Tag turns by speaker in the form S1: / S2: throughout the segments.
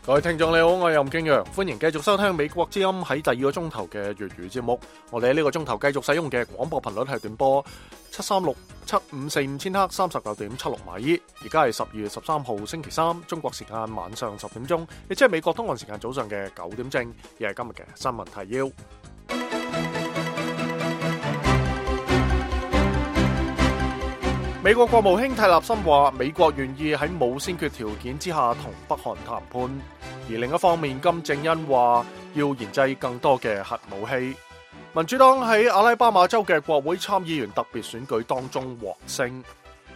S1: 各位聽眾你好，我係任敬陽，歡迎繼續收聽美國之音喺第二個鐘頭嘅粵語節目。我哋喺呢個鐘頭繼續使用嘅廣播頻率係短波736-7545千赫 39.76 米。而家係12月13號星期三，中國時間晚上10點鐘，亦即係美國東岸時間早上嘅9點正，亦係今日嘅新聞提要。美國國務卿蒂勒森話，美國願意喺冇先決條件之下同北韓談判。而另一方面，金正恩話要研製更多嘅核武器。民主黨喺阿拉巴馬州嘅國會參議員特別選舉當中獲勝。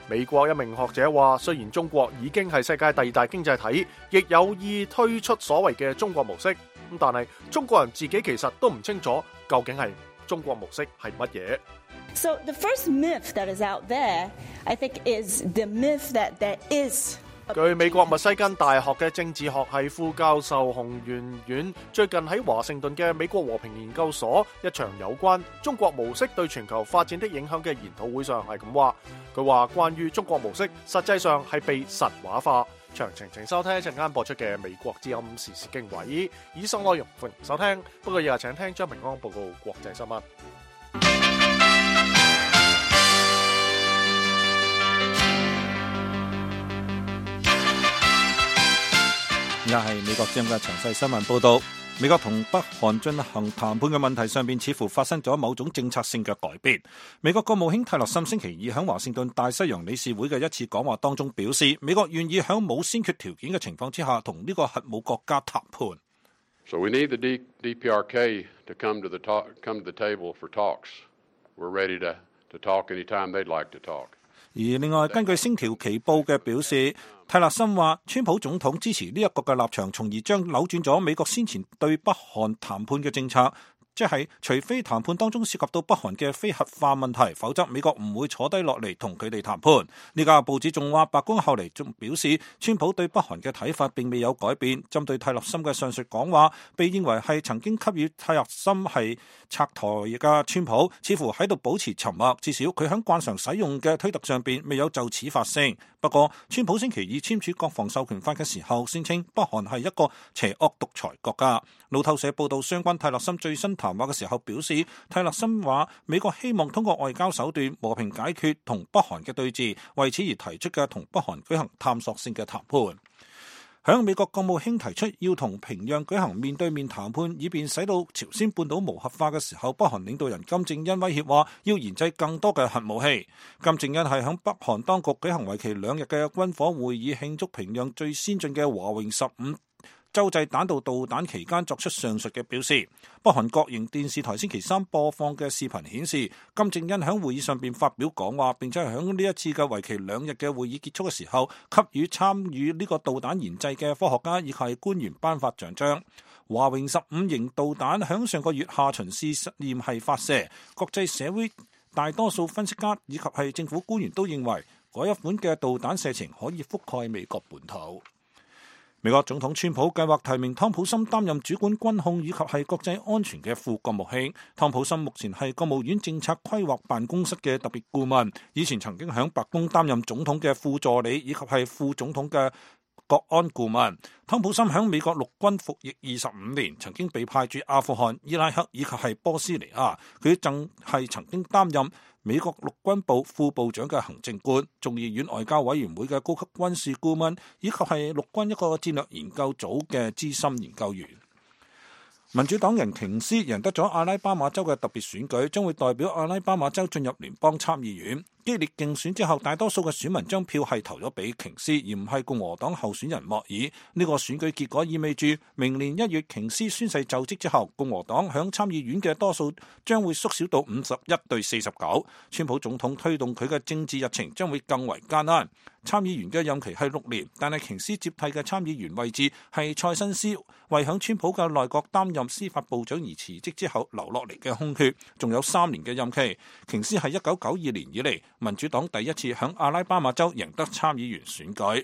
S1: 美國一名學者話，雖然中國已經係世界第二大經濟體，亦有意推出所謂嘅中國模式，但係中國人自己其實都唔清楚究竟係中國模式係乜嘢。
S2: So the first myth that is out there, I think, is the myth that there is.
S1: 據美國密西根大學嘅政治學系副教授洪媛媛最近喺華盛頓嘅美國和平研究所一場有關中國模式對全球發展的影響嘅研討會上係咁話，佢話關於中國模式實際上係被神話化。詳情請收聽一陣間播出嘅美國之音時事經緯。以上內容歡迎收聽，不過日日請聽張平安報告國際新聞。
S3: 而家係美國之音嘅詳細新聞報道。美國同北韓進行談判嘅問題上邊，似乎發生咗某種政策性嘅改變。美國國務卿蒂勒森星期二喺華盛頓大西洋理事會嘅一次講話當中表示，美國願意喺冇先決條件嘅情況之下，同呢個核武國家談判。
S4: So we need the DPRK to come to the table for talks. We're ready to talk anytime they'd like to talk.
S3: 而另外，根據星條旗報嘅表示，蒂勒森話，川普總統支持呢一個嘅立場，從而將扭轉咗美國先前對北韓談判嘅政策。即係除非談判當中涉及到北韓嘅非核化問題，否則美國唔會坐低落嚟同佢哋談判。呢家報紙仲話，白宮後嚟仲表示，川普對北韓嘅睇法並未有改變。針對蒂勒森嘅上述講話，被認為係曾經給予蒂勒森係拆台嘅川普，似乎喺度保持沉默。至少佢喺慣常使用嘅推特上邊未有就此發聲。不過，川普星期二簽署國防授權法嘅時候，宣稱北韓係一個邪惡獨裁國家。路透社報道相關蒂勒森最新談話嘅時候表示，蒂勒森話美國希望通過外交手段和平解決同北韓嘅對峙，為此而提出嘅同北韓舉行探索性嘅談判。響美國國務卿提出要同平壤舉行面對面談判，以便使到朝鮮半島無核化嘅時候，北韓領導人金正恩威脅話要研製更多嘅核武器。金正恩係響北韓當局舉行為期2日嘅軍火會議，慶祝平壤最先進嘅華榮15洲際彈道導彈期間作出上述嘅表示。北韓國營電視台星期三播放嘅視頻顯示，金正恩喺會議上邊發表講話，並且喺呢一次嘅為期2日嘅會議結束嘅時候，給予參與呢個導彈研製嘅科學家以及官員頒發獎章。華榮15型導彈響上個月下旬試實驗係發射，國際社會大多數分析家以及係政府官員都認為，嗰一款嘅導彈射程可以覆蓋美國本土。美國總統川普計劃提名湯普森擔任主管軍控以及係國際安全嘅副國務卿。湯普森目前係國務院政策規劃辦公室嘅特別顧問，以前曾經響白宮擔任總統嘅副助理以及係副總統嘅國安顧問。湯普森響美國陸軍服役25年，曾經被派駐阿富汗、伊拉克以及係波斯尼亞。佢仲係曾經擔任美國陸軍部副部長嘅行政官、眾議院外交委員會嘅高級軍事顧問，以及係陸軍一個戰略研究組嘅資深研究員。民主黨人瓊斯贏得咗阿拉巴馬州嘅特別選舉，將會代表阿拉巴馬州進入聯邦參議院。激烈競選之後，大多數嘅選民將票係投咗俾瓊斯，而唔係共和黨候選人莫爾。呢個選舉結果意味住明年1月瓊斯宣誓就職之後，共和黨響參議院嘅多數將會縮小到51對49。川普總統推動佢嘅政治日程將會更為艱難。參議員嘅任期係6年，但係瓊斯接替嘅參議員位置係塞申斯，為響川普嘅內閣擔任司法部長而辭職之後留落嚟嘅空缺，仲有3年嘅任期。瓊斯係1992年以嚟民主黨第一次響阿拉巴馬州贏得參議員選舉。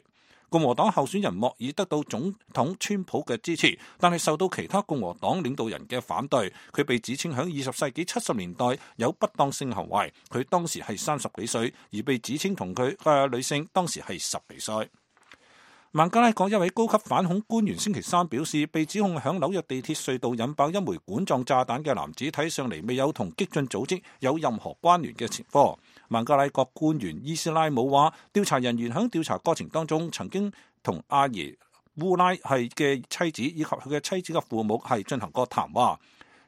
S3: 共和黨候選人莫爾得到總統川普嘅支持，但係受到其他共和黨領導人嘅反對。佢被指稱響20世紀70年代有不當性行為，佢當時係30幾歲，而被指稱同佢嘅女性當時係10幾歲。孟加拉國一位高級反恐官員星期三表示，被指控響紐約地鐵隧道引爆一枚管狀炸彈嘅男子睇上嚟未有同激進組織有任何關聯嘅前科。孟加拉國官員伊斯拉姆話，調查人員響調查過程當中曾經同阿爺烏拉係嘅妻子以及佢嘅妻子嘅父母係進行過談話。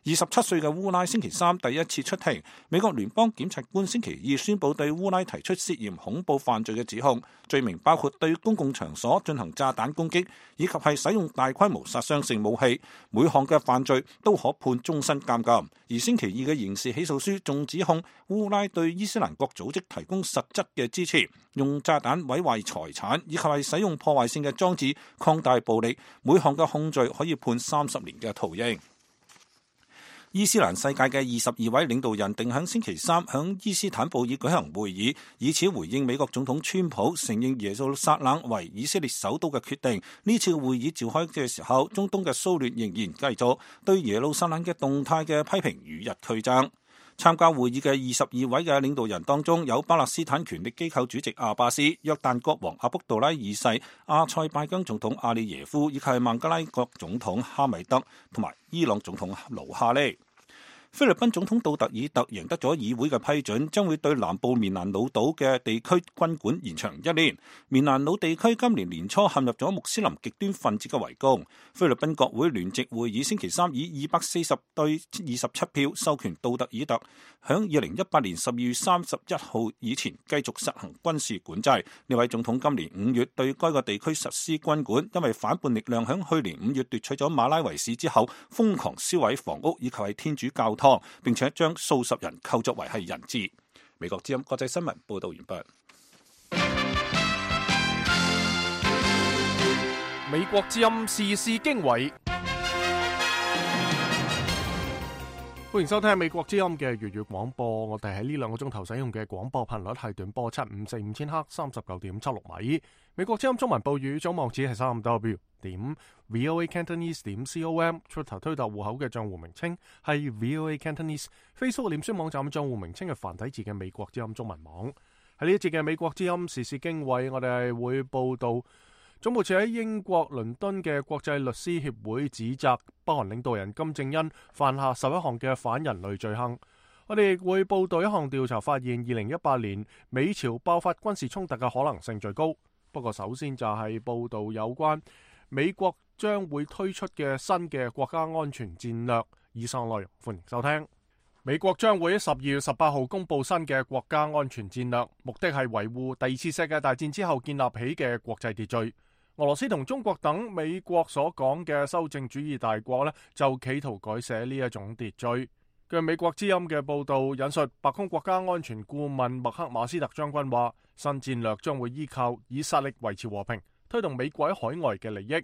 S3: 27歲嘅烏拉星期三第一次出庭，美國聯邦檢察官星期二宣布對烏拉提出涉嫌恐怖犯罪嘅指控，罪名包括對公共場所進行炸彈攻擊，以及係使用大規模殺傷性武器。每項嘅犯罪都可判終身監禁。而星期二嘅刑事起訴書仲指控烏拉對伊斯蘭國組織提供實質嘅支持，用炸彈毀壞財產，以及係使用破壞性嘅裝置擴大暴力。每項嘅控罪可以判30年嘅徒刑。伊斯蘭世界嘅22位領導人定喺星期三響伊斯坦布爾舉行會議，以此回應美國總統川普承認耶路撒冷為以色列首都嘅決定。呢次會議召開嘅時候，中東嘅騷亂仍然繼續，對耶路撒冷嘅動態嘅批評與日俱增。參加會議嘅22位嘅領導人當中，有巴勒斯坦權力機構主席阿巴斯、約旦國王阿卜杜拉二世、阿塞拜疆總統阿里耶夫，以及係孟加拉國總統哈米德同埋伊朗總統盧哈尼。菲律賓總統杜特爾特贏得咗議會嘅批准，將會對南部棉蘭老島嘅地區軍管延長1年。棉蘭老地區今年年初陷入咗穆斯林極端分子嘅圍攻。菲律賓國會聯席會議星期三以240對27票授權杜特爾特響2018年12月31號以前繼續實行軍事管制。呢位總統今年5月對該個地區實施軍管，因為反叛力量響去年5月奪取咗馬拉維市之後，瘋狂燒毀房屋以及係天主教堂，並且將數十人構作為係人質。美國之音國際新聞報道完畢。
S1: 美國之音時事經緯，歡迎收聽美國之音嘅粵語廣播。我哋喺呢2個鐘頭使用嘅廣播頻率係短波754千赫 39.76 米。美國之音中文報語總網址係3w.voacantonese.com， Twitter 推特戶口嘅賬戶名稱係 VOA Cantonese， Facebook 臉書網站賬戶名稱係繁體字嘅美國之音中文網。喺呢一節嘅美國之音時事經緯，我哋係會報道總部設喺英國倫敦嘅國際律師協會指責北韓領導人金正恩犯下11項嘅反人類罪行。我哋亦會報道一項調查發現2018年美朝爆發軍事衝突嘅可能性最高。不過首先就係報道有關美國將會推出嘅新嘅國家安全戰略。以上內容歡迎收聽。美國將會喺12月18號公布新嘅國家安全戰略，目的係維護第二次世界大戰之後建立起嘅國際秩序。俄羅斯同中國等美國所講嘅修正主義大國呢，就企圖改寫呢一種秩序。據美國之音嘅報道引述白宮國家安全顧問麥克馬斯特將軍話，新戰略將會依靠以實力維持和平，推動美國喺海外嘅利益。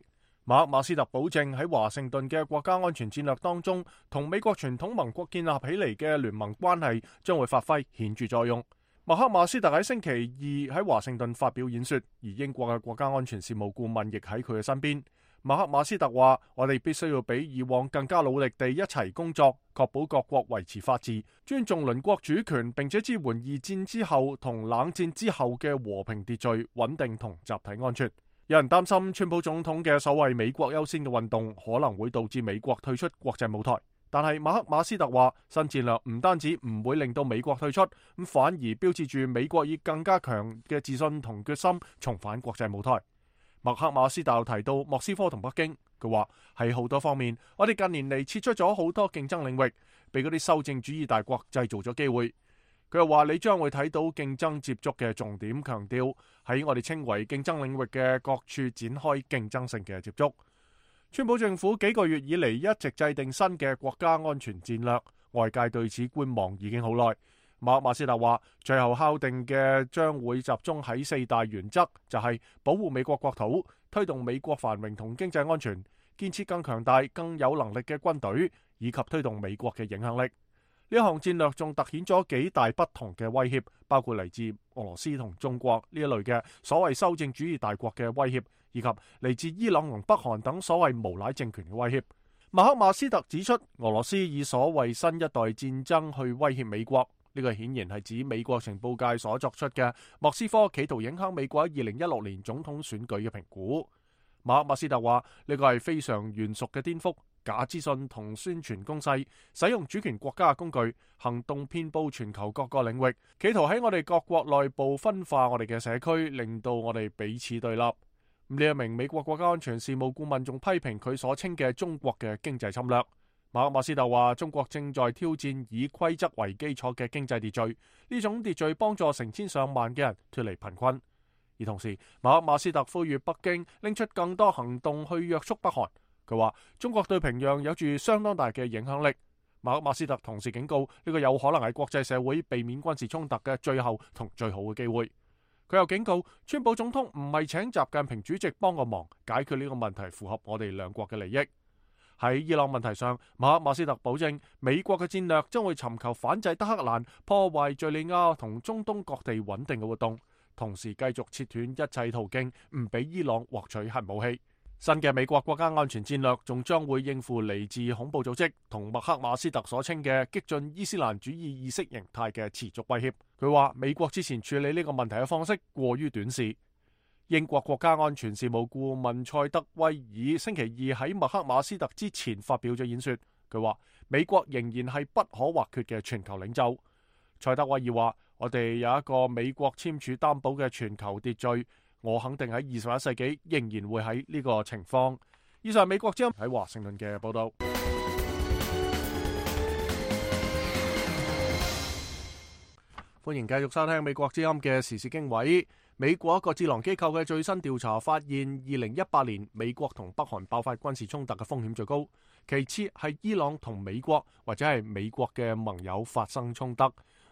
S1: 麥克馬斯特保證喺華盛頓嘅國家安全戰略當中，同美國傳統盟國建立起嚟嘅聯盟關係將會發揮顯著作用。麥克馬斯特喺星期二喺華盛頓發表演說，而英國嘅國家安全事務顧問亦喺佢嘅身邊。麥克馬斯特話：我哋必須要比以往更加努力地一齊工作，確保各國維持法治、尊重鄰國主權，並且支援二戰之後同冷戰之後嘅和平秩序、穩定同集體安全。有人擔心川普總統嘅所謂美國優先嘅運動可能會導致美國退出國際舞台，但係麥克馬斯特話，新戰略唔單止唔會令到美國退出，咁反而標誌住美國以更加強嘅自信同決心重返國際舞台。麥克馬斯特提到莫斯科同北京，佢話喺好多方面，我哋近年嚟撤出咗好多競爭領域，俾嗰啲修正主義大國製造咗機會。佢又話你將會睇到競爭接觸嘅重點，強調喺我哋稱為競爭領域嘅各處展開競爭性嘅接觸。川普政府幾個月以嚟一直制定新嘅國家安全戰略，外界對此觀望已經好耐。馬克馬斯特話，最後敲定嘅將會集中喺4大原則，就係保護美國國土、推動美國繁榮同經濟安全、建設更強大、更有能力嘅軍隊，以及推動美國嘅影響力。呢項戰略仲凸顯咗幾大不同嘅威脅，包括嚟自俄羅斯同中國呢一類嘅所謂修正主義大國嘅威脅，以及嚟自伊朗同北韓等所謂無賴政權嘅威脅。馬克馬斯特指出，俄羅斯以所謂新一代戰爭去威脅美國。呢個顯然係指美國情報界所作出嘅莫斯科企圖影響美國喺2016年總統選舉嘅評估。馬克馬斯特話呢個係非常懸殊嘅顛覆，假資訊同宣傳攻勢，使用主權國家嘅工具，行動遍佈全球各個領域，企圖喺我哋各國內部分化我哋嘅社區，令到我哋彼此對立。呢一名美國國家安全事務顧問仲批評佢所稱嘅中國嘅經濟侵略。馬克馬斯特話中國正在挑戰以規則為基礎嘅經濟秩序，呢種秩序幫助成千上萬嘅人脫離貧困。而同時，馬克馬斯特呼籲北京拎出更多行動去約束北韓。佢話中國對平壤有住相當大嘅影響力。馬克馬斯特同時警告呢個有可能係國際社會避免軍事衝突嘅最後同最好嘅機會。佢又警告川普總統唔係請習近平主席幫個忙解決呢個問題，符合我哋兩國嘅利益。喺伊朗問題上，馬克馬斯特保證美國嘅戰略將會尋求反制德黑蘭，破壞敘利亞同中東各地穩定嘅活動，同時繼續切斷一切途徑，唔俾伊朗獲取核武器。新嘅美國國家安全戰略仲將會應付嚟自恐怖組織同麥克馬斯特所稱嘅激進伊斯蘭主義意識形態嘅持續威脅。佢話美國之前處理呢個問題嘅方式過於短視。英國國家安全事務顧問塞德威爾星期二喺麥克馬斯特之前發表咗演說，佢話美國仍然係不可或缺嘅全球領袖。塞德威爾話：我哋有一個美國簽署擔保嘅全球秩序，我肯定喺21世紀仍然會喺呢個情況。以上美國之音喺華盛頓嘅報道。歡迎繼續收聽美國之音嘅時事經緯。美國一個智囊機構嘅最新調查發現，2018年美國同北韓爆發軍事衝突嘅風險最高，其次係伊朗同美國或者係美國嘅盟友發生衝突。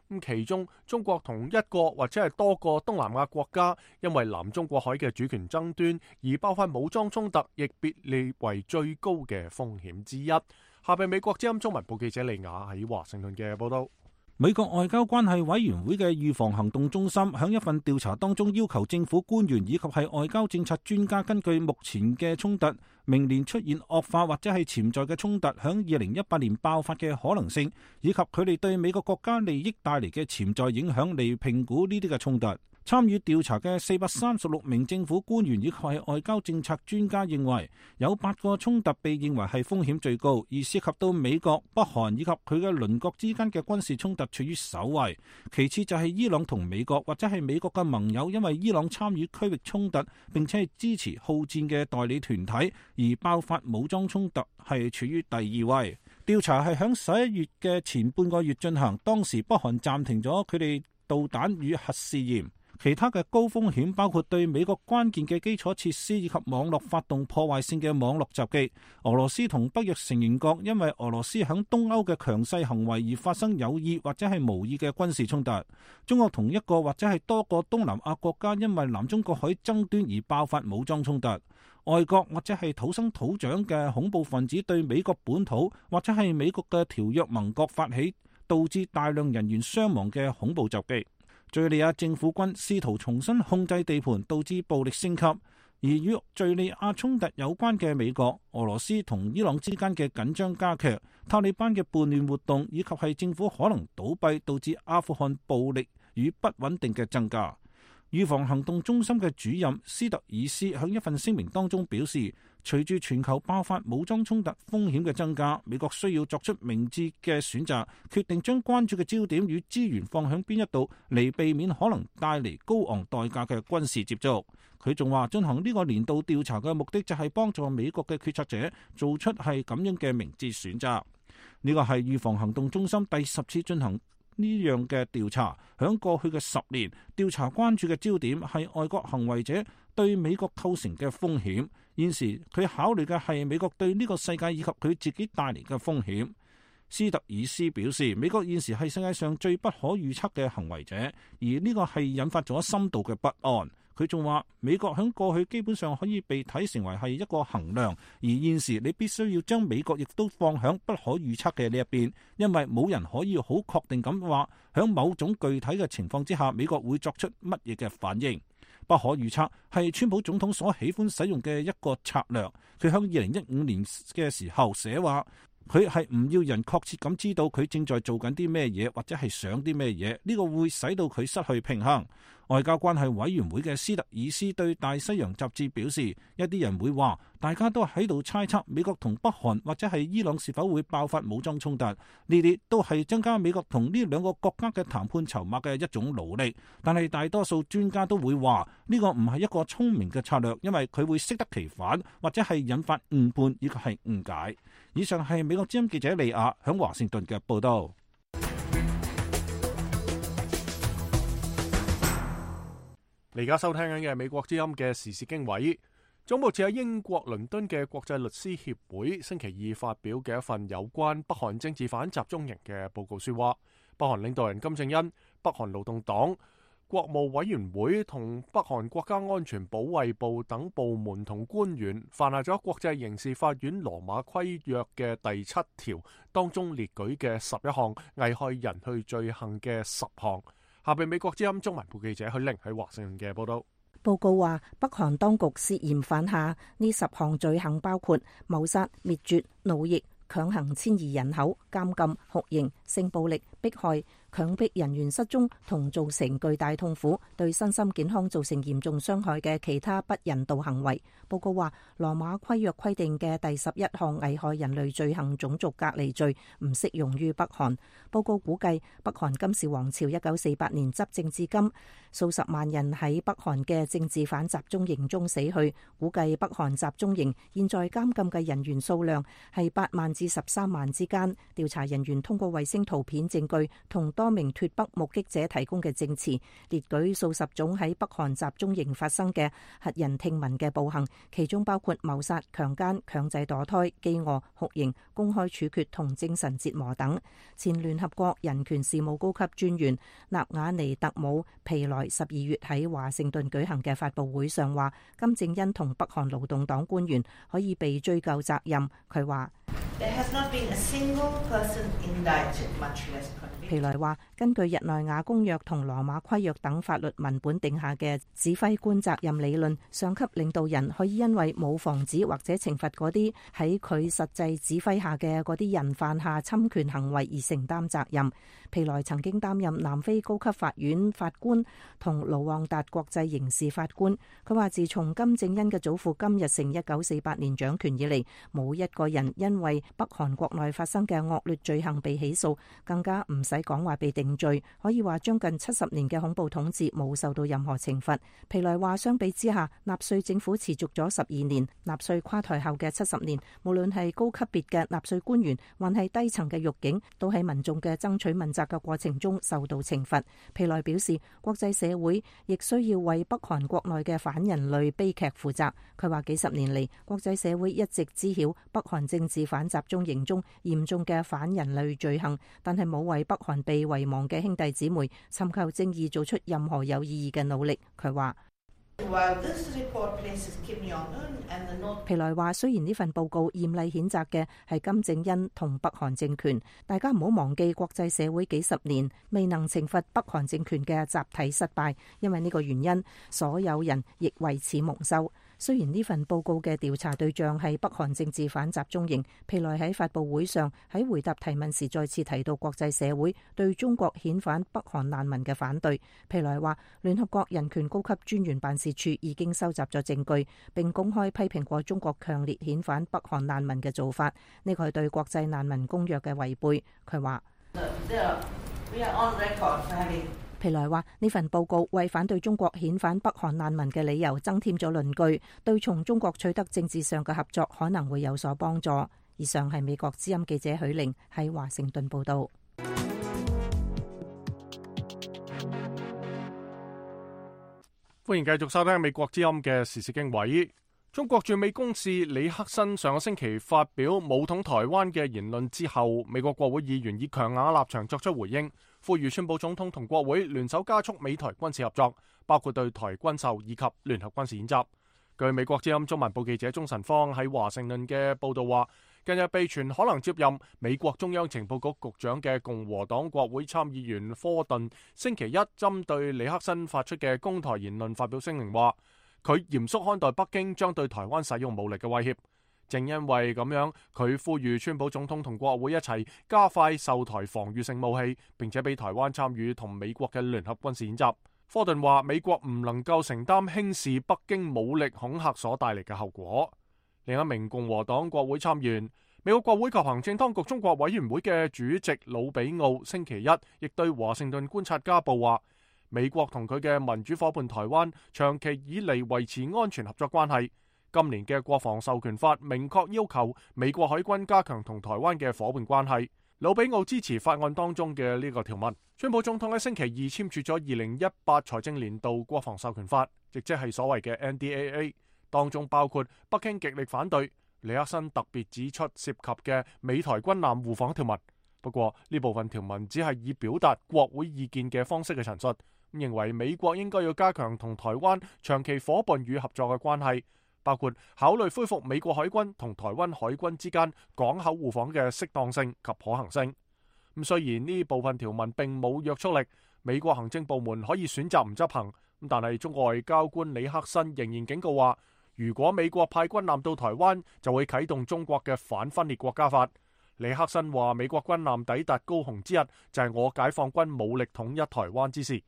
S1: 咁其中中國同一個或者係多個東南亞國家因為南中國海嘅主權爭端而爆發武裝衝突，亦被列為最高嘅風險之一。下邊美國之音中文部記者利亞喺華盛頓嘅報道。
S3: 美國外交關係委員會嘅預防行動中心響一份調查當中要求政府官員以及係外交政策專家根據目前嘅衝突，明年出現惡化或者係潛在嘅衝突響2018年爆發嘅可能性，以及佢哋對美國國家利益帶嚟嘅潛在影響嚟評估呢啲嘅衝突。參與調查嘅436名政府官員以及係外交政策專家認為，有8個衝突被認為係風險最高，而涉及到美國、北韓以及佢嘅鄰國之間嘅軍事衝突處於首位。其次就係伊朗同美國或者係美國嘅盟友，因為伊朗參與區域衝突並且係支持好戰嘅代理團體而爆發武裝衝突，係處於第2位。調查係響11月嘅前半個月進行，當時北韓暫停咗佢哋導彈與核試驗。其他嘅高風險包括對美國關鍵嘅基礎設施以及網絡發動破壞性嘅網絡襲擊。俄羅斯同北約成員國因為俄羅斯響東歐嘅強勢行為而發生有意或者係無意嘅軍事衝突。中國同一個或者係多個東南亞國家因為南中國海爭端而爆發武裝衝突。外國或者係土生土長嘅恐怖分子對美國本土或者係美國嘅條約盟國發起，導致大量人員傷亡嘅恐怖襲擊。敘利亞政府軍試圖重新控制地盤，導致暴力升級。而與敘利亞衝突有關嘅美國、俄羅斯同伊朗之間嘅緊張加劇，塔利班嘅叛亂活動以及係政府可能倒閉，導致阿富汗暴力與不穩定嘅增加。預防行動中心嘅主任斯特爾斯喺一份聲明當中表示，隨住全球爆發武裝衝突風險嘅增加，美國需要作出明智嘅選擇，決定將關注嘅焦點與資源放響邊一度，嚟避免可能帶嚟高昂代價嘅軍事接觸。佢仲話，進行呢個年度調查嘅目的就係幫助美國嘅決策者做出係咁樣嘅明智選擇。呢個係預防行動中心第10次進行呢樣嘅調查。響過去嘅10年，調查關注嘅焦點係外國行為者對美國構成嘅風險。現時佢考慮嘅係美國對呢個世界以及佢自己帶嚟嘅風險。斯特爾斯表示，美國現時係世界上最不可預測嘅行為者，而呢個係引發咗深度嘅不安。佢仲話，美國喺過去基本上可以被睇成為係一個衡量，而現時你必須要將美國亦都放響不可預測嘅呢一邊，因為冇人可以好確定咁話響某種具體嘅情況之下，美國會作出乜嘢嘅反應。不可預測係川普總統所喜歡使用嘅一個策略。佢喺2015年嘅時候寫話，佢係唔要人確切咁知道佢正在做緊啲咩嘢，或者係想啲咩嘢，呢個會使到佢失去平衡。外交關係委員會嘅斯特爾斯對大西洋雜誌表示，一啲人會話，大家都喺度猜測美國同北韓或者係伊朗是否會爆發武裝衝突，呢啲都係增加美國同呢兩個國家嘅談判籌碼嘅一種努力。但係大多數專家都會話，呢個唔係一個聰明嘅策略，因為佢會適得其反，或者係引發誤判以及係誤解。以上係美國之音記者利亞響華盛頓嘅報道。
S1: 你而家收聽緊嘅係美國之音嘅時事經緯。總部設喺英國倫敦嘅國際律師協會星期二發表嘅一份有關北韓政治犯集中營嘅報告書話，北韓領導人金正恩、北韓勞動黨、國務委員會同北韓國家安全保衛部等部門同官員犯下咗國際刑事法院羅馬規約嘅第7條當中列舉嘅11項危害人類罪行嘅10項。下邊美國之音中文部記者許玲喺華盛頓嘅報道。
S5: 報告話，北韓當局涉嫌犯下呢10項罪行，包括謀殺、滅絕、奴役、強行遷移人口、監禁、酷刑、性暴力、迫害、強迫人員失蹤同造成巨大痛苦、對身心健康造成嚴重傷害嘅其他不人道行為。報告話，羅馬規約規定嘅第11項危害人類罪行種族隔離罪唔適用於北韓。報告估計，北韓金氏王朝1948年執政至今，數十萬人喺北韓嘅政治犯集中營中死去。估計北韓集中營現在監禁嘅人員數量係8萬至13萬之間。調查人員通過衛星圖片證據同多名脫北目擊者提供嘅證詞，列舉數十種喺北韓集中營發生嘅駭人聽聞嘅暴行，其中包括謀殺、強姦、強制墮胎、飢餓、酷刑、公開處決同精神折磨等。前聯合國人權事務高級專員納瓦尼特姆皮萊12月喺華盛頓舉行嘅發佈會上話，金正恩同北韓勞動黨官員可以被追究責任。佢話，皮萊話，根據日內瓦公約同羅馬規約等法律文本定下嘅指揮官責任理論，上級領導人可以因為冇防止或者懲罰嗰啲喺佢實際指揮下嘅嗰啲人犯下侵權行為而承擔責任。皮萊曾經擔任南非高級法院法官同盧旺達國際刑事法官。佢話，自從金正恩嘅祖父金日成1948年掌權以嚟，冇一個人因為北韓國內發生嘅惡劣罪行被起訴，更加唔使講話被定罪。可以話將近70年嘅恐怖統治冇受到任何懲罰。皮萊話，相比之下，納粹政府持續咗12年，納粹垮台後嘅70年，無論係高級別嘅納粹官員，還係低層嘅獄警，都喺民眾嘅爭取問責嘅過程中受到懲罰。皮萊表示，國際社會亦需要為北韓國內嘅反人類悲劇負責。佢話，幾十年嚟，國際社會一直知曉北韓政治犯集中營中嚴重嘅反人類罪行，但係冇為北韓被遺忘嘅兄弟姊妹尋求正義做出任何有意義嘅努力。佢話，皮萊話，雖然呢份報告嚴厲譴責嘅係金正恩同北韓政權，大家唔好忘記國際社會幾十年未能懲罰北韓政權嘅集體失敗，因為呢個原因，所有人亦為此蒙羞。雖然呢份報告嘅調查對象係北韓政治犯集中營，皮萊喺發佈會上喺回答提問時再次提到國際社會對中國遣返北韓難民嘅反對。皮萊話，聯合國人權高級專員辦事處已經收集咗證據，並公開批評過中國強烈遣返北韓難民嘅做法，呢個係對國際難民公約嘅違背。佢話，皮萊話，呢份報告為反對中國遣返北韓難民嘅理由增添咗論據，對從中國取得政治上嘅合作可能會有所幫助。以上係美國之音記者許玲喺華盛頓報道。
S1: 歡迎繼續收聽美國之音嘅時事經緯。中國駐美公使李克辛上個星期發表武統台灣嘅言論之後，美國國會議員以強硬立場作出回應，呼籲川普總統同國會聯手加速美台軍事合作，包括對台軍售以及聯合軍事演習。據美國之音中文部記者鐘晨芳喺華盛頓嘅報道話，近日被傳可能接任美國中央情報局局長嘅共和黨國會參議員科頓，星期一針對李克辛發出嘅攻台言論發表聲明，話佢嚴肅看待北京將對台灣使用武力嘅威脅。正因為咁樣，佢呼籲川普總統同國會一齊加快售台防禦性武器，並且俾台灣參與同美國嘅聯合軍事演習。科頓話美國唔能夠承擔輕視北京武力恐嚇所帶嚟嘅後果。另一名共和黨國會參議員、美國國會及行政當局中國委員會嘅主席魯比奧星期一亦對華盛頓觀察家報話，美國同佢嘅民主夥伴台灣長期以嚟維持安全合作關係。今年嘅國防授權法明確要求美國海軍加強同台灣嘅夥伴關係。魯比奧支持法案當中嘅呢個條文。川普總統喺星期二簽署咗2018財政年度國防授權法，亦即係所謂嘅 NDAA， 當中包括北京極力反對，尼克森特別指出涉及嘅美台軍艦互訪條文。不過呢部分條文只係以表達國會意見嘅方式嘅陳述，認為美國應該要加強同台灣長期夥伴與合作嘅關係，包括考慮恢復美國海軍同台灣海軍之間港口互訪嘅適當性及可行性。咁雖然呢部分條文並冇約束力，美國行政部門可以選擇唔執行，但係中國外交官李克森仍然警告話，如果美國派軍艦到台灣，就會啟動中國嘅反分裂國家法。李克森話，美國軍艦抵達高雄之日，就係我解放軍武力統一台灣之時。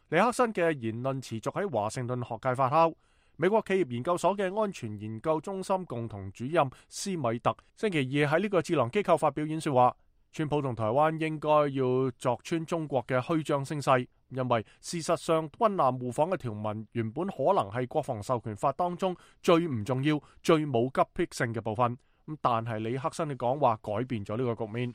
S1: 李克森嘅言論持續喺華盛頓學界發酵。美國企業研究所嘅安全研究中心共同主任斯米特星期二喺呢個智囊機構發表演說話，川普同台灣應該要鑿穿中國嘅虛張聲勢，因為事實上軍艦互訪嘅條文原本可能係國防授權法當中最唔重要、最冇急迫性嘅部分。但係李克森嘅講話改變咗呢個局面。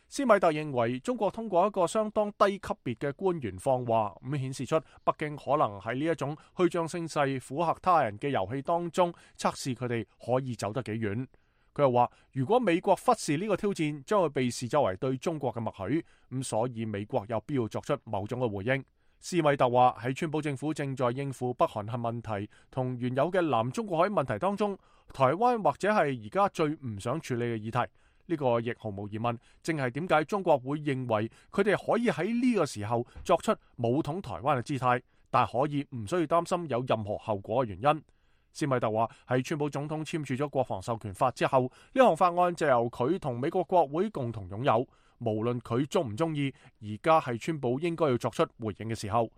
S1: 斯米特認為中國通過一個相當低級別嘅官員放話，顯示出北京可能喺呢一種虛張聲勢、附和他人嘅遊戲當中測試佢哋可以走得幾遠。佢又話，如果美國忽視呢個挑戰，將會被視作為對中國嘅默許，所以美國有必要作出某種嘅回應。斯米特話，喺川普政府正在應付北韓核問題同原有嘅南中國海問題當中，台灣或者係而家最唔想處理嘅議題。呢個亦毫無疑問，正係點解中國會認為佢哋可以喺呢個時候作出武統台灣嘅姿態，但可以唔需要擔心有任何後果嘅原因。斯米特話，喺川普總統簽署咗國防授權法之後，呢項法案就由佢同美國國會共同擁有，無論佢中唔中意，而家係川普應該要作出回應嘅時候。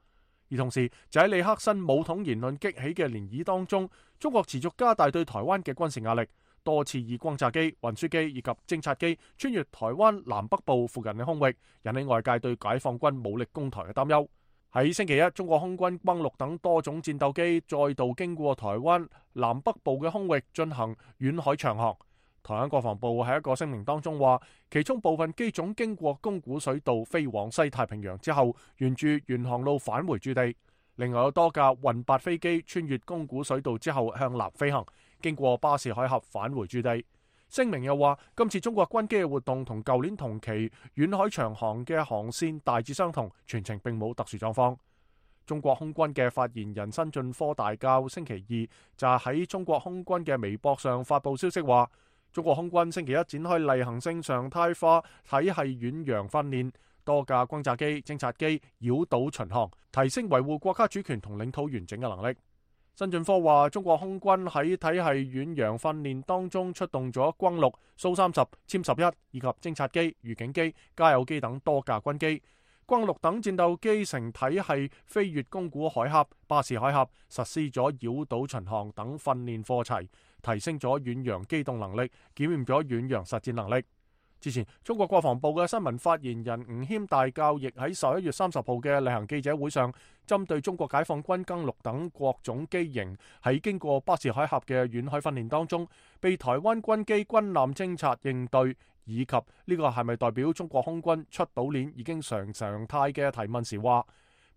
S1: 而同時就喺李克森武統言論激起嘅漣漪當中，中國持續加大對台灣嘅軍事壓力，多次以轟炸機、運輸機以及偵察機穿越台灣南北部附近嘅空域，引起外界對解放軍武力攻台嘅擔憂。喺星期一，中國空軍轟六等多種戰鬥機再度經過台灣南北部嘅空域進行遠海長航。台灣國防部喺一個聲明當中話，其中部分機種經過宮古水道飛往西太平洋之後，沿住原航路返回駐地。另外有多架運8飛機穿越宮古水道之後向南飛行，經過巴士海峽返回駐地。聲明又話，今次中國軍機嘅活動同舊年同期遠海長航嘅航線大致相同，全程並冇特殊狀況。中國空軍嘅發言人辛進科大校星期二就喺中國空軍嘅微博上發布消息話，中國空軍星期一展開例行性常態化體系遠洋訓練，多架轟炸機、偵察機繞島巡航，提升維護國家主權同領土完整嘅能力。辛進科話，中國空軍喺體系遠洋訓練當中出動咗轟6、蘇30、殲11以及偵察機、預警機、加油機等多架軍機。轟6等戰鬥機乘體系飛越宮古海峽、巴士海峽，實施咗繞島巡航等訓練課程，提升咗遠洋機動能力，檢驗咗遠洋實戰能力。之前，中國國防部嘅新聞發言人吳謙大校亦喺11月30號嘅例行記者會上，針對中國解放軍轟6等各種機型喺經過巴士海峽嘅遠海訓練當中，被台灣軍機軍艦偵察應對，以及呢個係咪代表中國空軍出島鏈已經常態嘅提問時話，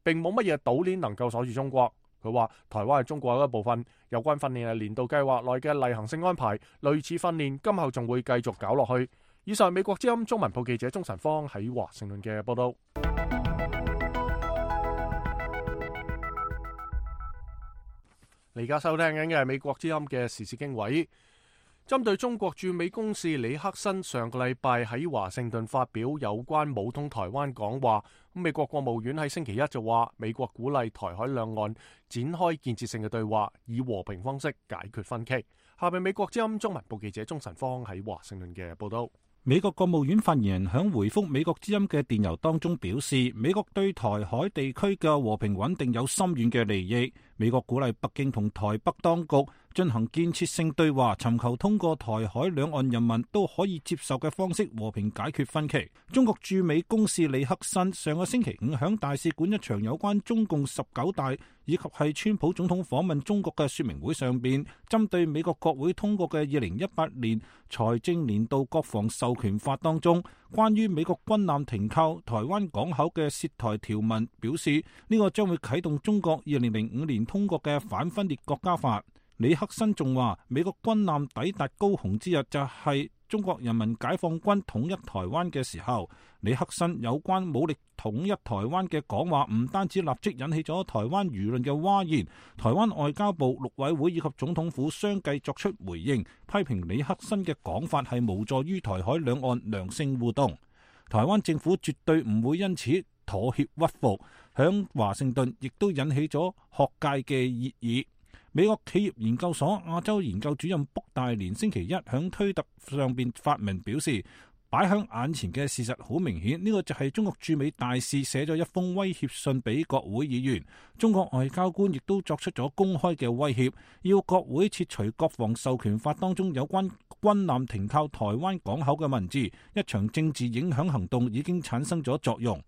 S1: 並冇乜嘢島鏈能夠鎖住中國。佢話台灣係中國嘅一部分，有關訓練係年度計劃內嘅例行性安排，類似訓練今後仲會繼續搞落去。以上美國之音中文部記者鍾晨芳喺華盛頓嘅報道。你而家收聽緊嘅係美國之音嘅時事經緯。針對中國駐美公使李克森上個禮拜喺華盛頓發表有關武統台灣講話，美國國務院喺星期一就話，美國鼓勵台海兩岸展開建設性嘅對話，以和平方式解決分歧。下面美國之音中文部記者鍾晨芳喺華盛頓嘅報道。
S3: 美國國務院發言人響回覆美國之音嘅電郵當中表示，美國對台海地區嘅和平穩定有深遠嘅利益。美國鼓勵北京同台北當局進行建設性對話，尋求通過台海兩岸人民都可以接受嘅方式和平解決分歧。中國駐美公使李克辛上個星期五響大使館一場有關中共19大以及係川普總統訪問中國嘅說明會上邊，針對美國國會通過嘅2018年財政年度國防授權法當中關於美國軍艦停靠台灣港口嘅涉台條文，表示呢個將會啟動中國2005年通過嘅反分裂國家法。李克辛仲話，美國軍艦抵達高雄之日就係中國人民解放軍統一台灣嘅時候。李克辛有關武力統一台灣嘅講話，唔單止立即引起咗台灣輿論嘅譁然，台灣外交部、陸委會以及總統府相繼作出回應，批評李克辛嘅講法係無助於台海兩岸良性互動。台灣政府絕對唔會因此妥協屈服，響華盛頓亦都引起咗學界嘅熱議。美國企業研究所亞洲研究主任卜大連星期一響推特上邊發文表示，擺響眼前嘅事實好明顯，呢個就係中國駐美大使寫咗一封威脅信俾國會議員，中國外交官亦都作出咗公開嘅威脅，要國會撤除國防授權法當中有關軍艦停靠台灣港口嘅文字。一場政治影響行動已經產生咗作用。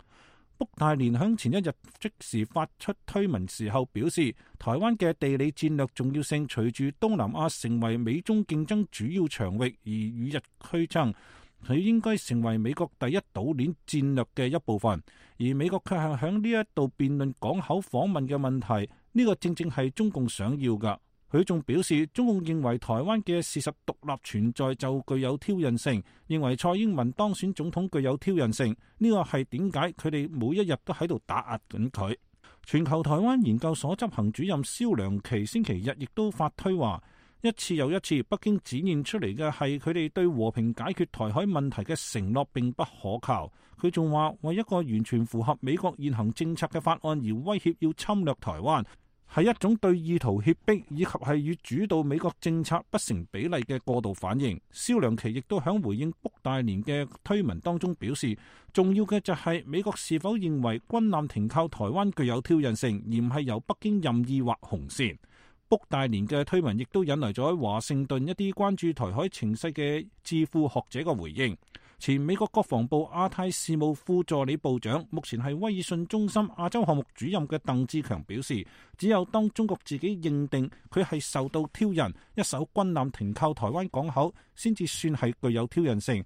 S3: 卜大連響前一日即時發出推文時候表示，台灣嘅地理戰略重要性隨住東南亞成為美中競爭主要場域而與日俱增，佢應該成為美國第一島鏈戰略嘅一部分。而美國卻係響呢一度辯論港口訪問嘅問題，呢個正正係中共想要㗎。佢仲表示，中共認為台灣嘅事實獨立存在就具有挑釁性，認為蔡英文當選總統具有挑釁性。呢個係點解佢哋每一日都喺度打壓緊佢。全球台灣研究所執行主任蕭良琪星期日亦都發推話，一次又一次北京展現出嚟嘅係佢哋對和平解決台海問題嘅承諾並不可靠。佢仲話，為一個完全符合美國現行政策嘅法案而威脅要侵略台灣，係一種對意圖脅迫以及係與主導美國政策不成比例嘅過度反應。蕭良琪亦都響回應卜大連嘅推文當中表示，重要嘅就係美國是否認為軍艦停靠台灣具有挑釁性，而唔係由北京任意劃紅線。卜大連嘅推文亦都引嚟咗喺華盛頓一啲關注台海情勢嘅智庫學者嘅回應。前美國國防部亞太事務副助理部長，目前係威爾遜中心亞洲項目主任嘅鄧志強表示，只有當中國自己認定佢係受到挑釁，一艘軍艦停靠台灣港口，先至算係具有挑釁性。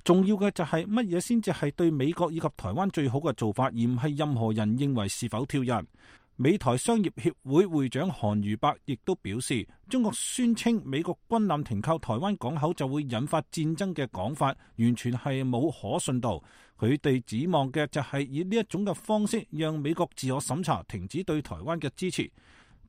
S3: 重要嘅就係乜嘢先至係對美國以及台灣最好嘅做法，而唔係任何人認為是否挑釁。美台商業協會會長韓如伯亦都表示，中國宣稱美國軍艦停靠台灣港口就會引發戰爭嘅講法，完全係冇可信度。佢哋指望嘅就係以呢一種嘅方式，讓美國自我審查，停止對台灣嘅支持。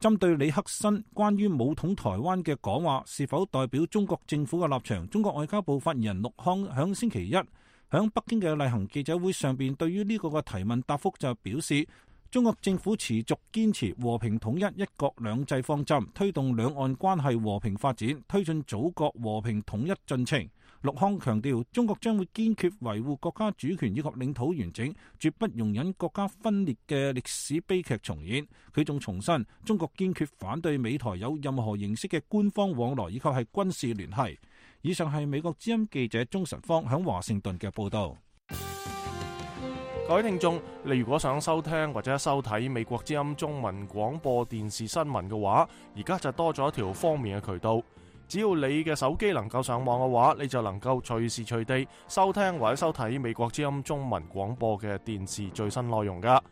S3: 針對李克辛關於武統台灣嘅講話是否代表中國政府嘅立場，中國外交部發言人陸康響星期一響北京嘅例行記者會上邊，對於呢個嘅提問答覆就表示，中國政府持續堅持和平統一、一國兩制方針，推動兩岸關係和平發展，推進祖國和平統一進程。陸康強調，中國將會堅決維護國家主權以及領土完整，絕不容忍國家分裂嘅歷史悲劇重演。佢仲重申，中國堅決反對美台有任何形式嘅官方往來以及係軍事聯繫。以上係美國之音記者鍾晨芳響華盛頓嘅報道。
S1: 各位聽眾，你如果想收聽或者收睇美國之音中文廣播電視新聞嘅話，而家就多咗一條方便嘅渠道。只要你嘅手機能夠上網嘅話，你就能夠隨時隨地收聽或者收睇美國之音中文廣播嘅電視最新內容噶。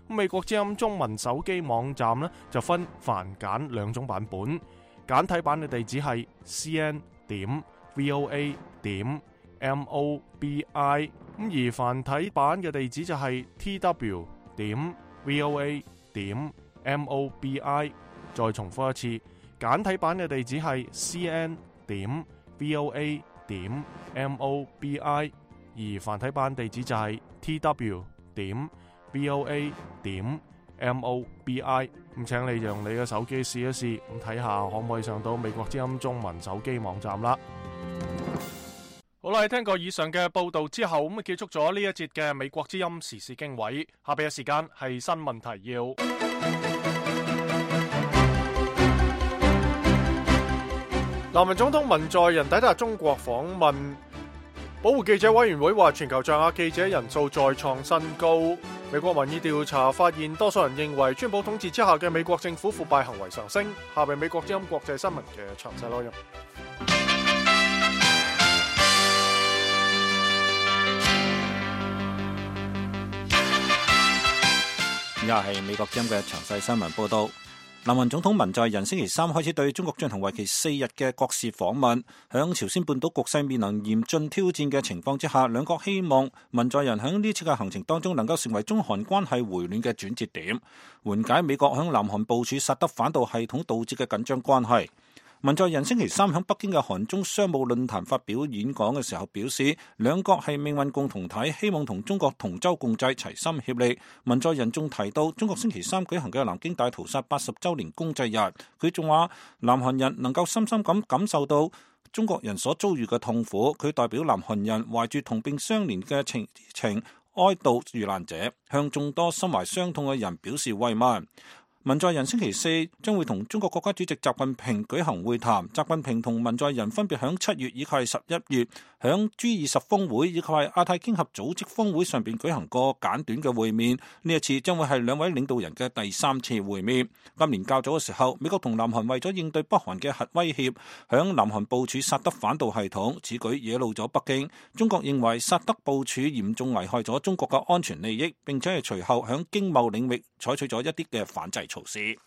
S1: 美國之音中文手機網站呢，就分繁簡兩種版本，簡體版嘅地址係 cn.voa.mobi。而繁體版嘅地址就係 tw.voa.mobi。 再重複一次，簡體版嘅地址係 cn.voa.mobi。 而繁體版地址就係 tw.voa.mobi。 咁請你用你嘅手機試一試，咁睇下可唔可以上到美國之音中文手機網站啦。好啦，喺聽過以上嘅報道之後，咁結束咗呢一節嘅美國之音時事經緯。下邊嘅時間係新聞提要。南韓總統文在寅抵達中國訪問。保護記者委員會話，全球在亞記者人數再創新高。美國民意調查發現，多數人認為川普統治之下嘅美國政府腐敗行為上升。下邊美國之音國際新聞嘅詳細內容。
S3: 而家係美國之音嘅詳細新聞報道。南韓總統文在寅星期三開始對中國進行為期4日嘅國事訪問。響朝鮮半島局勢面臨嚴峻挑戰嘅情況之下，兩國希望文在寅響呢次嘅行程當中能夠成為中韓關係回暖嘅轉折點，緩解美國響南韓部署薩德反導系統導致嘅緊張關係。文在寅星期三喺北京嘅韓中商務論壇發表演講嘅時候表示，兩國係命運共同體，希望同中國同舟共濟，齊心協力。文在寅仲提到中國星期三舉行嘅南京大屠殺80週年公祭日，佢仲話南韓人能夠深深咁感受到中國人所遭遇嘅痛苦，佢代表南韓人懷住同病相憐嘅情哀悼遇難者，向眾多心懷傷痛嘅人表示慰問。文在寅星期四將會同中國國家主席習近平舉行會談，習近平同文在寅分別響7月以及11月響 G20 峰會以及亞太經合組織峰會上邊舉行過簡短嘅會面，呢一次將會係兩位領導人嘅第3次會面。今年較早嘅時候，美國同南韓為咗應對北韓嘅核威脅，響南韓部署薩德反導系統，此舉惹怒咗北京。中國認為薩德部署嚴重危害咗中國嘅安全利益，並且係隨後響經貿領域採取咗一啲嘅反制措施。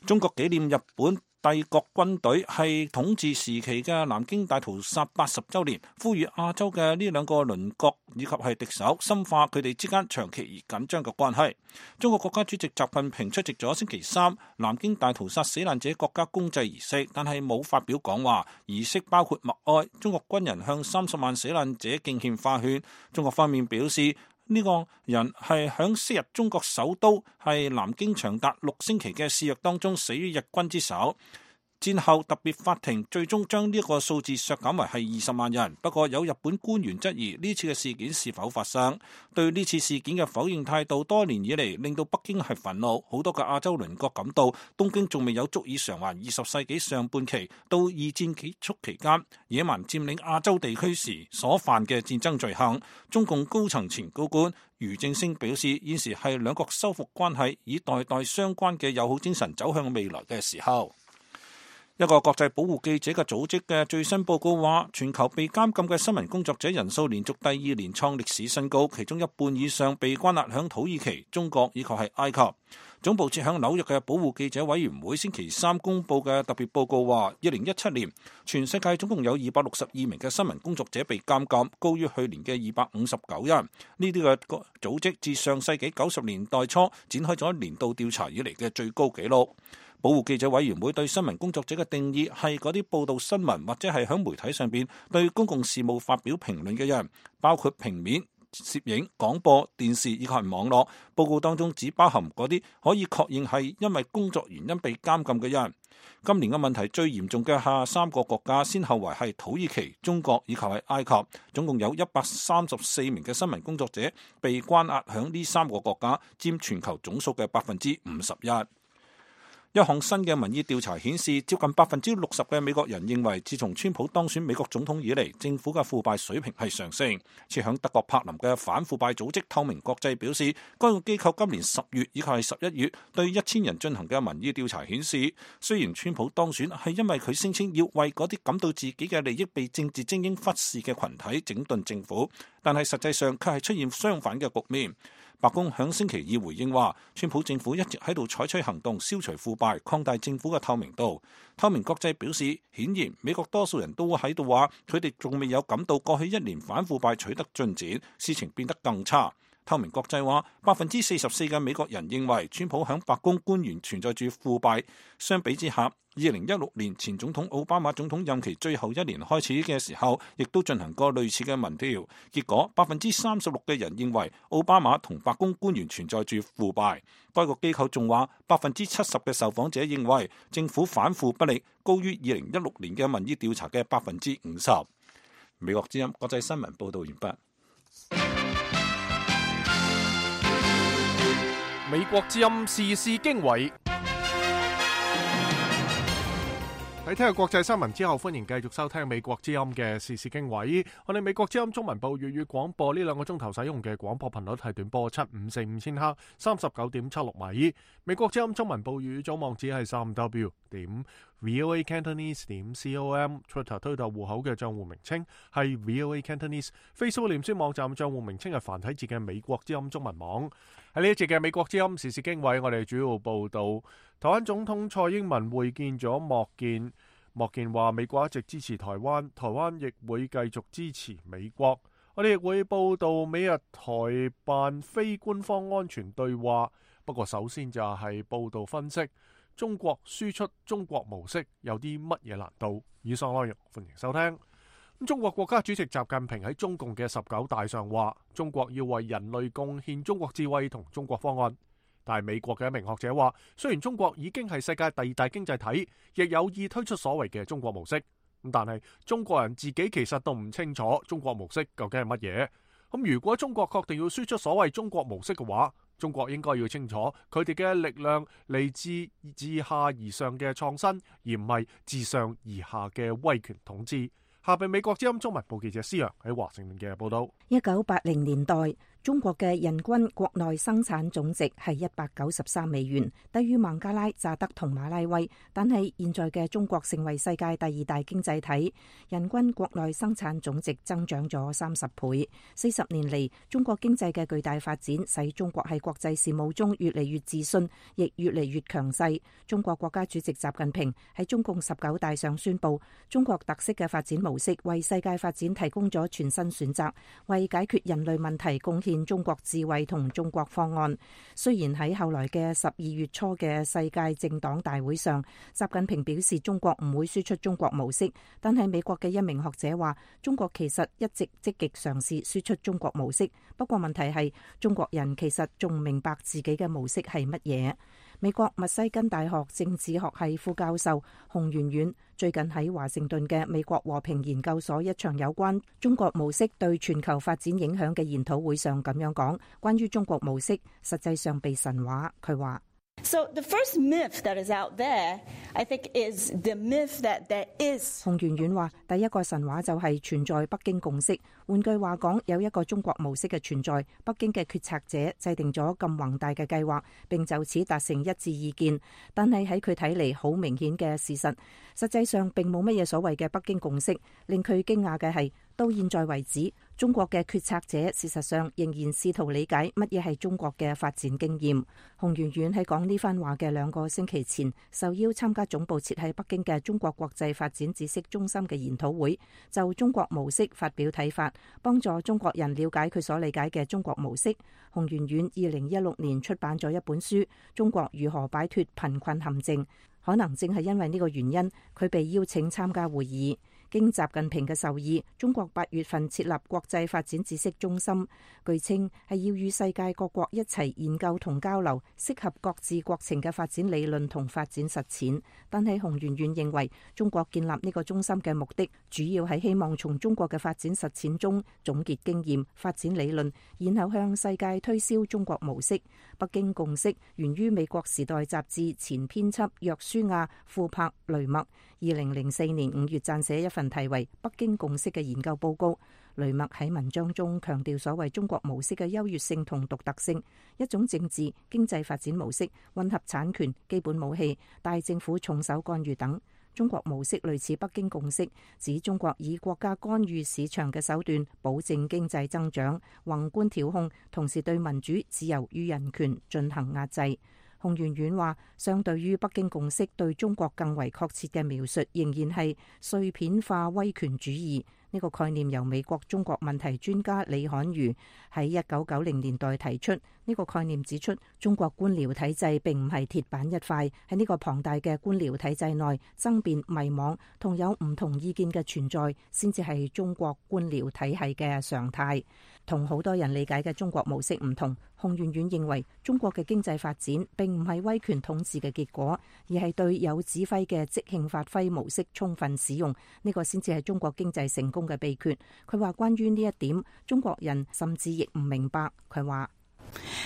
S3: 中國紀念日本帝國軍隊係統治時期嘅南京大屠殺80週年，呼籲亞洲嘅呢兩個鄰國以及係敵手深化佢哋之間長期而緊張嘅關係。中國國家主席習近平出席咗星期三南京大屠殺死難者國家公祭儀式，但係冇發表講話。儀式包括默哀，中國軍人向30萬死難者敬獻花圈。中國方面表示，呢個人係響昔日中國首都係南京長達6星期嘅肆虐當中死於日軍之手。戰後特別法庭最終將呢個數字削減為係20萬人。不過有日本官員質疑呢次嘅事件是否發生。對呢次事件嘅否認態度多年以嚟令到北京係憤怒。好多嘅亞洲鄰國感到東京仲未有足以償還20世紀上半期到二戰結束期間野蠻佔領亞洲地區時所犯嘅戰爭罪行。中共高層前高官俞正聲表示，現時係兩國修復關係以代代相關嘅友好精神走向未來嘅時候。一個國際保護記者嘅組織嘅最新報告話，全球被監禁嘅新聞工作者人數連續第2年創歷史新高，其中一半以上被關押響土耳其、中國以及係埃及。總部設響紐約嘅保護記者委員會星期三公布嘅特別報告話，2017年全世界總共有262名嘅新聞工作者被監禁，高於去年嘅259人。呢啲嘅組織自上世紀90年代初展開咗年度調查以嚟嘅最高紀錄。保護記者委員會對新聞工作者嘅定義係嗰啲報道新聞或者係喺媒體上邊對公共事務發表評論嘅人，包括平面、攝影、廣播、電視以及網絡。報告當中只包含嗰啲可以確認係因為工作原因被監禁嘅人。今年嘅問題最嚴重嘅下3個國家，先後為係土耳其、中國以及係埃及，總共有134名嘅新聞工作者被關押響呢3個國家，佔全球總數嘅51%。一項新嘅民意調查顯示，接近60%嘅美國人認為，自從川普當選美國總統以嚟，政府嘅腐敗水平係上升。設響德國柏林嘅反腐敗組織透明國際表示，該個機構今年10月以及係11月對1000人進行嘅民意調查顯示，雖然川普當選係因為佢聲稱要為嗰啲感到自己嘅利益被政治精英忽視嘅群體整頓政府，但係實際上卻係出現相反嘅局面。白宮響星期2回應話，川普政府一直喺度採取行動消除腐敗，擴大政府嘅透明度。透明國際表示，顯然美國多數人都喺度話，佢哋仲未有感到過去1年反腐敗取得進展，事情變得更差。透明國際話，44%嘅美國人認為川普響白宮官員存在住腐敗。相比之下，2016年前總統奧巴馬總統任期最後1年開始嘅時候，亦都進行過類似嘅民調，結果36%嘅人認為奧巴馬同白宮官員存在住腐敗。該個機構仲話，70%嘅受訪者認為政府反腐不力，高於2016年嘅民意調查嘅50%。美國之音國際新聞報道完畢。
S1: 美國之音時事經緯。喺聽日國際新聞之後，歡迎繼續收聽美國之音嘅時事經緯。我哋美國之音中文部粵語廣播呢2個鐘頭使用嘅廣播頻率係短波7545千赫39.76米。美國之音中文部粵語組網址係3w.voacantonese.com。Twitter 推特戶口嘅賬戶名稱係 VOA Cantonese。Facebook 臉書網站賬戶名稱係繁體字嘅美國之音中文網。喺呢一節嘅美國之音時事經緯，我哋主要報道台灣總統蔡英文會見咗莫健。莫健話美國一直支持台灣，台灣亦會繼續支持美國。我哋亦會報道美日台辦非官方安全對話。不過首先就係報道分析中國輸出中國模式有啲乜嘢難度。以上內容歡迎收聽。中國國家主席習近平喺中共嘅19大上話，中國要為人類貢獻中國智慧同中國方案。但係美國嘅一名學者話，雖然中國已經係世界第2大經濟體，亦有意推出所謂嘅中國模式，但係中國人自己其實都唔清楚中國模式究竟係乜嘢。如果中國確定要輸出所謂中國模式嘅話，中國應該要清楚佢哋嘅力量嚟自下而上嘅創新，而唔係自上而下嘅威權統治。下邊美國之音中文部記者施洋喺華盛頓嘅報道。
S5: 1980年代，中國嘅人均國內生產總值係193美元，低於孟加拉、乍得同馬拉威。但係現在嘅中國成為世界第2大經濟體，人均國內生產總值增長咗30倍。40年嚟，中國經濟嘅巨大發展使中國喺國際事務中越嚟越自信，亦越嚟越強勢。中國國家主席習近平喺中共19大上宣布，中國特色嘅發展模式為世界發展提供咗全新選擇，為解決人類問題貢獻中國智慧同中國方案。雖然喺後來嘅12月初嘅世界政黨大會上，習近平表示中國唔會輸出中國模式，但係美國嘅一名學者話，中國其實一直積極嘗試輸出中國模式，不過問題係中國人其實仲唔明白自己嘅模式係乜嘢。美國密西根大學政治學系副教授洪媛媛最近喺華盛頓嘅美國和平研究所一場有關中國模式對全球發展影響嘅研討會上咁樣講，關於中國模式實際上被神話。佢話
S2: So the first myth that is out there, I think, is the myth that there is.
S5: 洪媛媛話：第一個神話就係存在北京共識。換句話講，有一個中國模式嘅存在，北京嘅決策者制定咗咁宏大嘅計劃，並就此達成一致意見。但係喺佢睇嚟，好明顯嘅事實，實際上並冇乜嘢所謂嘅北京共識。令佢驚訝嘅係，到現在為止，中國嘅決策者事實上仍然試圖理解乜嘢係中國嘅發展經驗。洪媛媛喺講呢番話嘅2個星期前，受邀參加總部設喺北京嘅中國國際發展知識中心嘅研討會，就中國模式發表睇法，幫助中國人了解佢所理解嘅中國模式。洪媛媛2016年出版咗一本書《中國如何擺脫貧困陷阱》，可能正係因為呢個原因，佢被邀請參加會議。經習近平嘅授意，中國8月份設立國際發展知識中心，據稱係要與世界各國一齊研究同交流適合各自國情嘅發展理論同發展實踐。但係洪媛媛認為，中國建立呢個中心嘅目的，主要係希望從中國嘅發展實踐中總結經驗、發展理論，然後向世界推銷中國模式。北京共識源於美國《時代》雜誌前編輯約書亞·庫珀雷默2004年5月撰寫一份題為《北京共識》嘅研究報告。雷默喺文章中強調所謂中國模式嘅優越性同獨特性，一種政治經濟發展模式，混合產權、基本武器、大政府重手干預等。中國模式類似北京共識，指中國以國家干預市場嘅手段保證經濟增長，宏觀調控，同時對民主、自由與人權進行壓制。洪媛媛話，相對於北京共識對中國更為確切嘅描述，仍然係碎片化威權主義。呢個概念由美國中國問題專家李侃瑜喺1990年代提出，呢個概念指出，中國官僚體制並唔係鐵板一塊，喺呢個龐大嘅官僚體制內，爭辯、迷惘同有唔同意見嘅存在，先至係中國官僚體系嘅常態。同好多人理解嘅中國模式唔同，洪媛媛認為中國嘅經濟發展並唔係威權統治嘅結果，而係對有指揮嘅即興發揮模式充分使用，呢個先至係中國經濟成功嘅秘訣。佢話關於呢一點，中國人甚至亦唔明白。佢話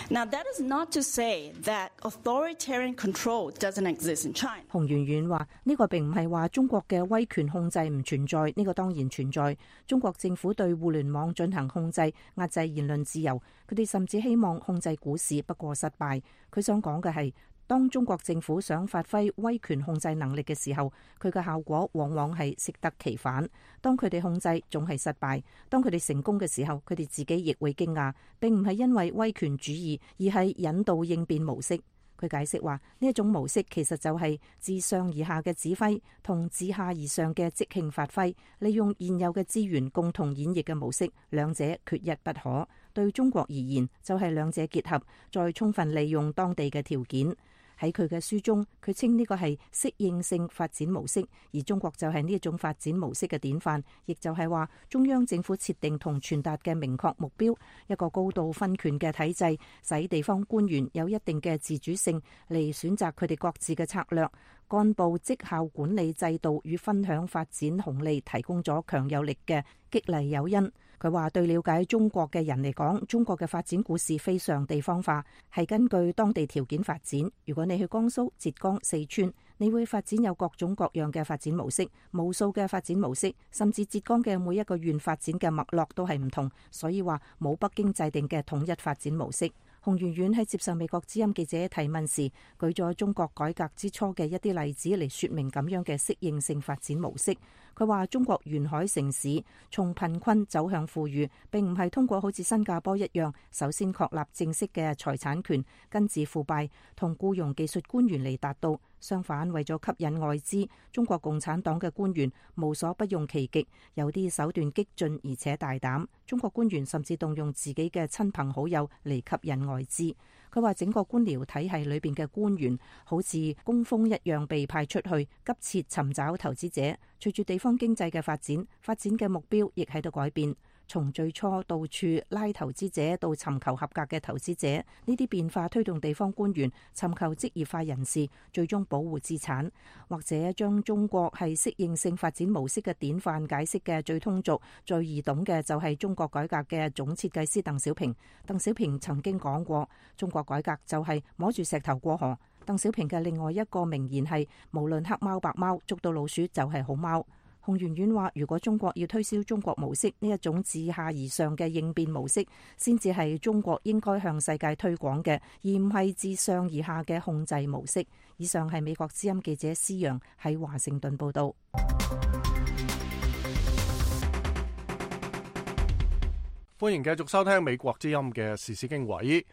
S2: Now, that is not to say that authoritarian control doesn't exist in China.
S5: 洪媛媛話：呢個並唔係話中國嘅威權控制唔存在，呢個當然存在。中國政府對互聯網進行控制，壓制言論自由。佢哋甚至希望控制股市，不過失敗。佢想講嘅係，當中國政府想發揮威權控制能力嘅時候，佢嘅效果往往係適得其反。當佢哋控制總係失敗，當佢哋成功嘅時候，佢哋自己亦會驚訝，並唔係因為威權主義，而係引導應變模式。佢解釋話，呢一種模式其實就係自上而下嘅指揮同自下而上嘅即興發揮，利用現有嘅資源共同演繹嘅模式，兩者缺一不可。對中國而言，就係兩者結合，再充分利用當地嘅條件。喺佢嘅書中，佢稱呢個係適應性發展模式，而中國就係呢一種發展模式嘅典範，亦就係話中央政府設定同傳達嘅明確目標，一個高度分權嘅體制，使地方官員有一定嘅自主性嚟選擇佢哋各自嘅策略。幹部績效管理制度與分享發展紅利提供咗強有力嘅激勵誘因。佢話對了解中國嘅人嚟講，中國嘅發展故事非常地方化，係根據當地條件發展。如果你去江蘇、浙江、四川，你會發展有各種各樣嘅發展模式，無數嘅發展模式，甚至浙江嘅每一個縣發展嘅脈絡都係唔同，所以話冇北京制定嘅統一發展模式。洪媛媛喺接受美國之音記者提問時，舉咗中國改革之初嘅一啲例子嚟說明咁樣嘅適應性發展模式。佢話中國沿海城市從貧困走向富裕，並唔係通過好似新加坡一樣，首先確立正式嘅財產權，根治腐敗同僱傭技術官員嚟達到。相反，為咗吸引外資，中國共產黨嘅官員無所不用其極，有啲手段激進而且大膽。中國官員甚至動用自己嘅親朋好友嚟吸引外資。佢話整個官僚體系裏邊嘅官員好似工蜂一樣被派出去，急切尋找投資者。隨住地方經濟嘅發展嘅目標亦喺度改變。從最初到處拉投資者到尋求合格嘅投資者，呢啲變化推動地方官員尋求職業化人士，最終保護資產，或者將中國係適應性發展模式嘅典範解釋嘅最通俗、最易懂嘅就係中國改革嘅總設計師鄧小平。鄧小平曾經講過，中國改革就係摸住石頭過河。鄧小平嘅另外一個名言係：無論黑貓白貓，捉到老鼠就係好貓。洪媛媛話：如果中國要推銷中國模式呢一種自下而上嘅應變模式，先至係中國應該向世界推廣嘅，而唔係自上而下嘅控制模式。以上係美國之音記者施陽喺華盛頓報道。
S1: 歡迎繼續收聽美國之音嘅時事經緯。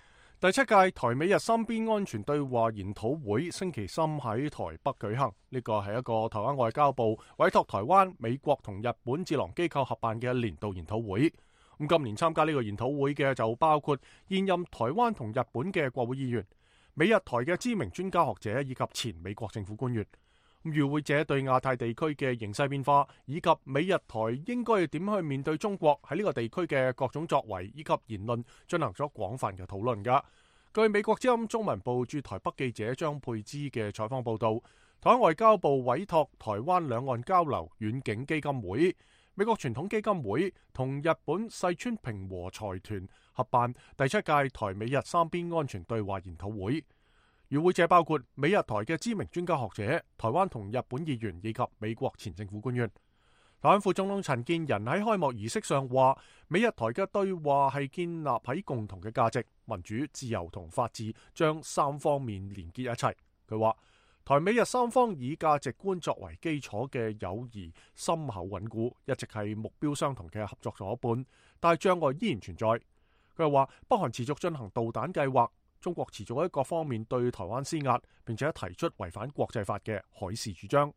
S1: 第7屆台美日三邊安全對話研討會星期三喺台北舉行，呢個係一個台灣外交部委託台灣、美國同日本智囊機構合辦嘅年度研討會。咁今年參加呢個研討會嘅就包括現任台灣同日本嘅國會議員、美日台嘅知名專家學者以及前美國政府官員。與會者對亞太地區嘅形勢變化以及美日台應該點去面對中國喺呢個地區嘅各種作為以及言論進行咗廣泛嘅討論㗎。據美國之音中文部駐台北記者張佩芝嘅採訪報道，台灣外交部委託台灣兩岸交流遠景基金會、美國傳統基金會同日本細川平和財團合辦第7屆台美日三邊安全對話研討會。與會者包括美日台嘅知名專家學者、台灣同日本議員以及美國前政府官員。台灣副總統陳建仁喺開幕儀式上話，美日台嘅對話係建立喺共同嘅價值、民主、自由同法治，將三方面連結一齊。佢話，台美日三方以價值觀作為基礎嘅友誼深厚穩固，一直係目標相同嘅合作夥伴，但係障礙依然存在。佢又話，北韓持續進行導彈計劃，中國持續喺各方面對台灣施壓，並且提出違反國際法嘅海事主張。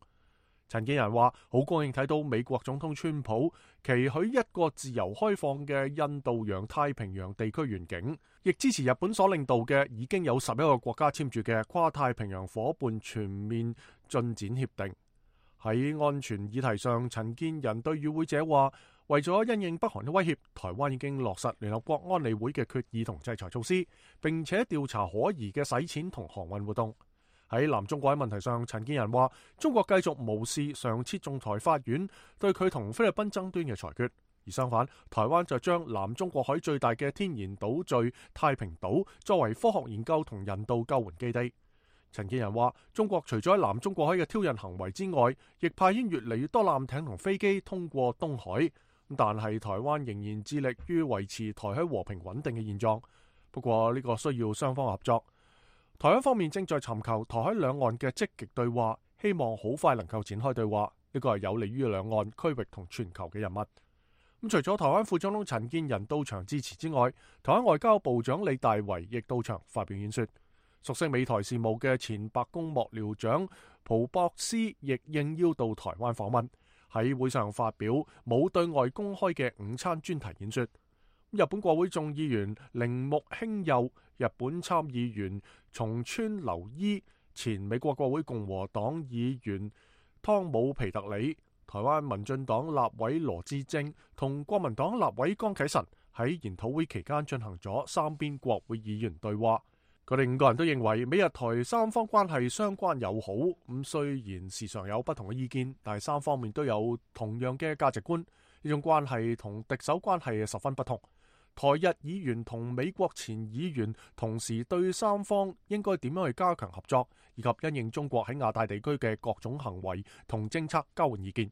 S1: 陳建仁話：好高興睇到美國總統川普期許一個自由開放嘅印度洋太平洋地區願景，亦支持日本所領導嘅已經有11個國家簽署嘅跨太平洋夥伴全面進展協定。喺安全議題上，陳建仁對與會者話：為咗因應北韓嘅威脅，台灣已經落實聯合國安理會嘅決議同制裁措施，並且調查可疑嘅洗錢同航運活動。喺南中國喺問題上，陳建仁話：中國繼續無視上次仲裁法院對佢同菲律賓爭端嘅裁決，而相反，台灣就將南中國海最大嘅天然島嶼太平島作為科學研究同人道救援基地。陳建仁話：中國除咗喺南中國海嘅挑釁行為之外，亦派遣越嚟越多艦艇同飛機通過東海，但係台灣仍然致力於維持台海和平穩定嘅現狀。不過呢個需要雙方合作。台灣方面正在尋求台海兩岸嘅積極對話，希望好快能夠展開對話。呢個係有利於兩岸區域同全球嘅人物。咁除咗台灣副總統陳建仁到場致辭之外，台灣外交部長李大維亦到場發表演說。熟悉美台事務嘅前白宮幕僚長蒲博斯亦應邀到台灣訪問，喺會上發表冇對外公開嘅午餐專題演說。日本國會眾議員鈴木興佑、日本參議員松川留伊、前美國國會共和黨議員湯姆皮特里、台灣民進黨立委羅致政同國民黨立委江啟臣喺研討會期間進行咗三邊國會議員對話。佢哋5個人都認為美日台三方關係相關友好。咁雖然時常有不同嘅意見，但係三方面都有同樣嘅價值觀。呢種關係同敵手關係十分不同。台日議員同美國前議員同時對三方應該點樣去加強合作，以及因應中國喺亞太地區嘅各種行為同政策交換意見。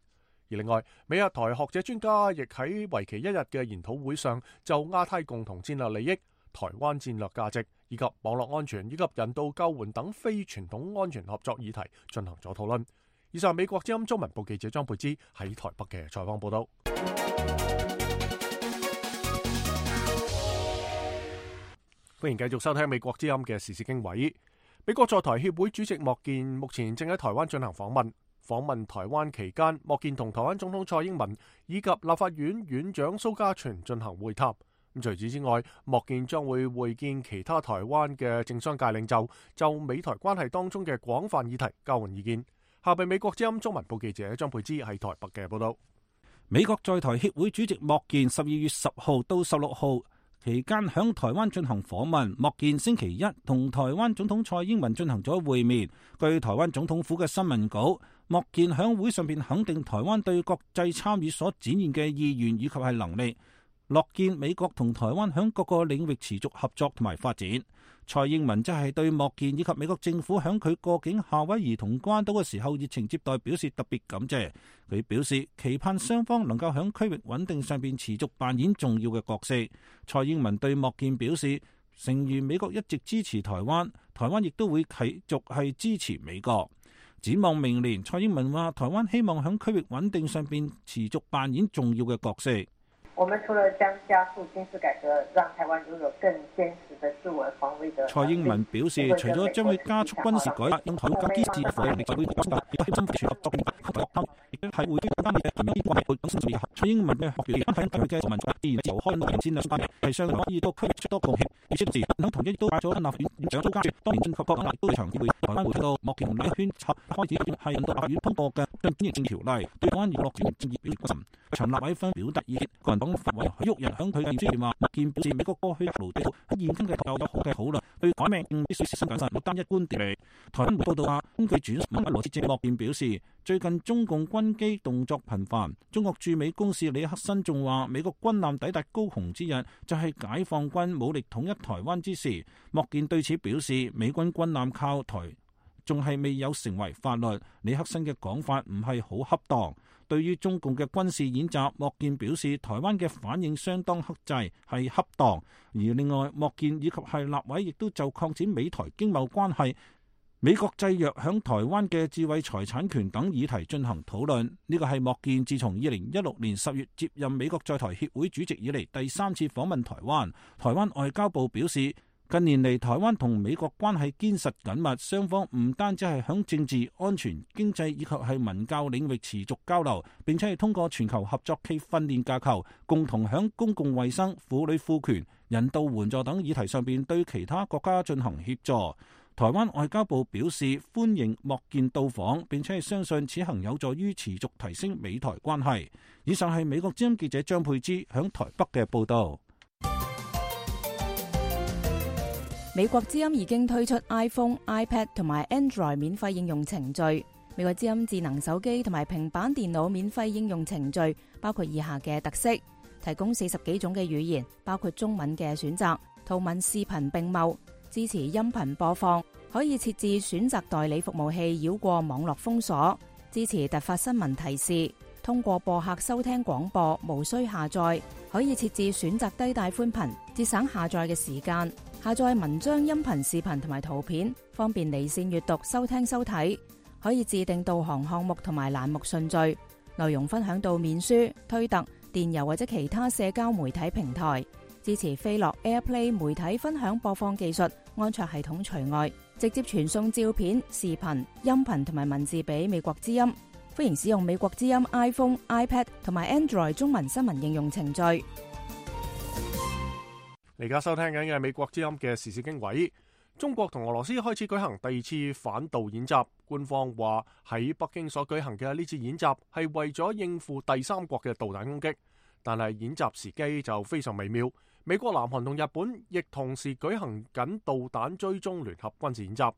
S1: 而另外，美日台學者專家亦喺為期1日嘅研討會上，就亞太共同戰略利益、台灣戰略價值以及網絡安全以及人道救援等非傳統安全合作議題進行咗討論。以上美國之音中文部記者張佩芝喺台北嘅採訪報道。歡迎繼續收聽美國之音嘅時事經緯。美國在台協會主席莫健目前正喺台灣進行訪問。訪問台灣期間，莫健同台灣總統蔡英文以及立法院院長蘇嘉全進行會談。咁除此之外，莫健將會會見其他台灣嘅政商界領袖，就美台關係當中嘅廣泛議題交換意見。下邊美國之音中文部記者張佩芝喺台北嘅報道。
S3: 美國在台協會主席莫健12月10號到16號期間響台灣進行訪問。莫健星期一同台灣總統蔡英文進行咗會面。據台灣總統府嘅新聞稿，莫健響會上邊肯定台灣對國際參與所展現嘅意願以及係能力，樂見美國同台灣響各個領域持續合作同埋發展。蔡英文則係對莫健以及美國政府響佢過境夏威夷同關島嘅時候熱情接待表示特別感謝。佢表示期盼雙方能夠響區域穩定上邊持續扮演重要嘅角色。蔡英文對莫健表示，誠如美國一直支持台灣，台灣亦都會繼續係支持美國。展望明年，蔡英文話台灣希望響區域穩定上邊持續扮演重要嘅角色。
S6: 我們除了將加速軍事改革，讓台灣擁有更堅實的自我防衛的。
S3: 蔡英文表示，除咗將會加速軍事改革，用台灣更堅實嘅防衛力，就會增加亦都係深化合作亦都係會更加密切緊密關係等新蔡英文嘅學表喺佢嘅民主自然由開戰略關係係相可以多區出多貢獻。而且自然等同一都帶咗立法院院長蘇嘉全當年進及國安都長期會台灣會睇到莫健同李圈插開始係引導立法院通過嘅進轉型條例，對台灣娛樂專業正義表示關心。長立委分表達意見，個人黨發委許旭人響佢嘅演說話，莫健表示美國過去勞地喺現今嘅有好嘅討論，對改命必須小心謹慎，冇單一觀點嚟。台灣報道話，根據轉述羅致政，莫健表示，最近中共軍機動作頻繁。中國駐美公使李克新仲話，美國軍艦抵達高雄之日就係解放軍武力統一台灣之時。莫健對此表示，美軍軍艦靠台仲係未有成為法律。李克新嘅講法唔係好恰當。對於中共嘅軍事演習，莫健表示台灣嘅反應相當克制，係恰當。而另外，莫健以及係立委亦都就擴展美台經貿關係、美國制約響台灣嘅智慧財產權等議題進行討論。呢個係莫健自從2016年10月接任美國在台協會主席以嚟第3次訪問台灣。台灣外交部表示，近年嚟，台灣同美國關係堅實緊密，雙方唔單止係響政治、安全、經濟以及係文教領域持續交流，並且係通過全球合作暨訓練架構，共同響公共衛生、婦女賦權、人道援助等議題上邊對其他國家進行協助。台灣外交部表示歡迎莫健到訪，並且係相信此行有助於持續提升美台關係。以上係美國之音記者張佩芝響台北嘅報道。
S7: 美國之音已經推出 iPhone、iPad 同埋 Android 免費應用程序。美國之音智能手機同埋平板電腦免費應用程序包括以下嘅特色：提供40幾種嘅語言，包括中文嘅選擇，圖文視頻並茂，支持音頻播放，可以設置選擇代理服務器繞過網絡封鎖，支持突發新聞提示，通過播客收聽廣播，無需下載，可以設置選擇低帶寬頻，節省下載嘅時間。下載文章、音頻、視頻同埋圖片，方便離線閱讀、收聽收睇。可以自定導航項目同埋欄目順序，內容分享到面書、推特、電郵或者其他社交媒體平台。支持飛樂 AirPlay 媒體分享播放技術，安卓系統除外。直接傳送照片、視頻、音頻同埋文字俾美國之音。歡迎使用美國之音 iPhone、iPad 同埋 Android 中文新聞應用程序。
S1: 你而家收聽緊嘅係美國之音嘅時事經緯。中國同俄羅斯開始舉行第二次反導演習，官方話喺北京所舉行嘅呢次演習係為咗應付第三國嘅導彈攻擊，但係演習時機就非常微妙。美國、南韓同日本亦同時舉行緊導彈追蹤聯合軍事演習。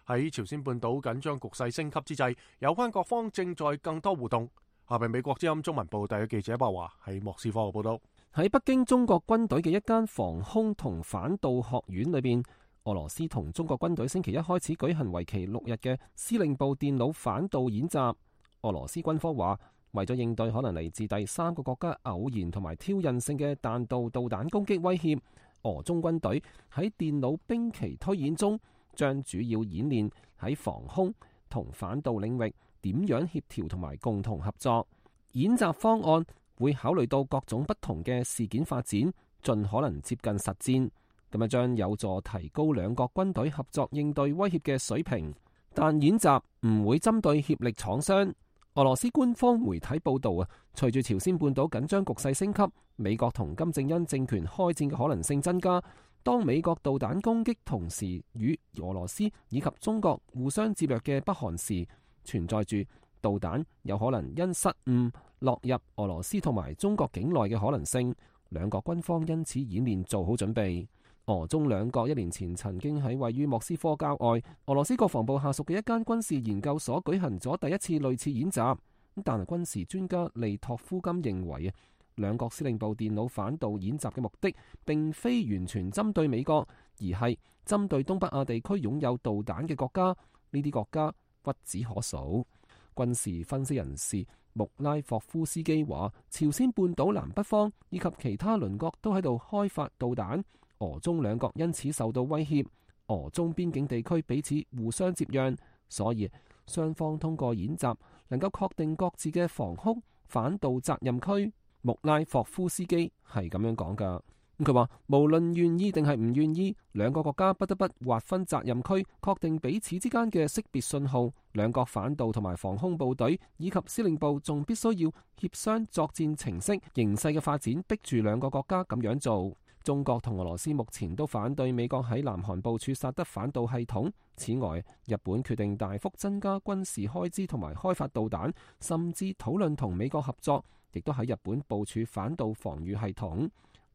S1: 喺朝鮮半島緊張局勢升級之際，有關各方正在更多互動。下邊美國之音中文部第一記者白華喺莫斯科嘅報道。
S8: 喺北京中國軍隊嘅一間防空同反導學院裏邊，俄羅斯同中國軍隊星期一開始舉行為期6日嘅司令部電腦反導演習。俄羅斯軍方話，為咗應對可能嚟自第三個國家偶然同埋挑釁性嘅彈道導彈攻擊威脅，俄中軍隊喺電腦兵棋推演中，將主要演練喺防空同反導領域點樣協調同埋共同合作。演習方案會考慮到各種不同嘅事件發展，盡可能接近實戰，咁啊將有助提高兩國軍隊合作應對威脅嘅水平。但演習唔會針對協力廠商。俄羅斯官方媒體報道啊，隨住朝鮮半島緊張局勢升級，美國同金正恩政權開戰嘅可能性增加。當美國導彈攻擊同時與俄羅斯以及中國互相接壤嘅北韓時，存在住導彈有可能因失誤落入俄羅斯同埋中國境內嘅可能性。兩國軍方因此演練做好準備。俄中兩國1年前曾經喺位於莫斯科郊外俄羅斯國防部下屬嘅一間軍事研究所舉行咗第一次類似演習。但係軍事專家利托夫金認為啊，兩國司令部電腦反導演習嘅目的並非完全針對美國，而係針對東北亞地區擁有導彈嘅國家。呢啲國家屈指可數。軍事分析人士穆拉霍夫斯基話，朝鮮半島南北方以及其他鄰國都喺度開發導彈，俄中兩國因此受到威脅。俄中邊境地區彼此互相接壤，所以雙方通過演習能夠確定各自嘅防空反導責任區。穆拉霍夫斯基係咁樣講噶。佢話無論願意定係唔願意，兩個國家不得不劃分責任區，確定彼此之間嘅識別信號。兩國反導同埋防空部隊以及司令部仲必須要協商作戰程式。形勢嘅發展逼住兩個國家咁樣做。中國同俄羅斯目前都反對美國喺南韓部署薩德反導系統。此外，日本決定大幅增加軍事開支同埋開發導彈，甚至討論同美國合作，亦都喺日本部署反導防禦系統。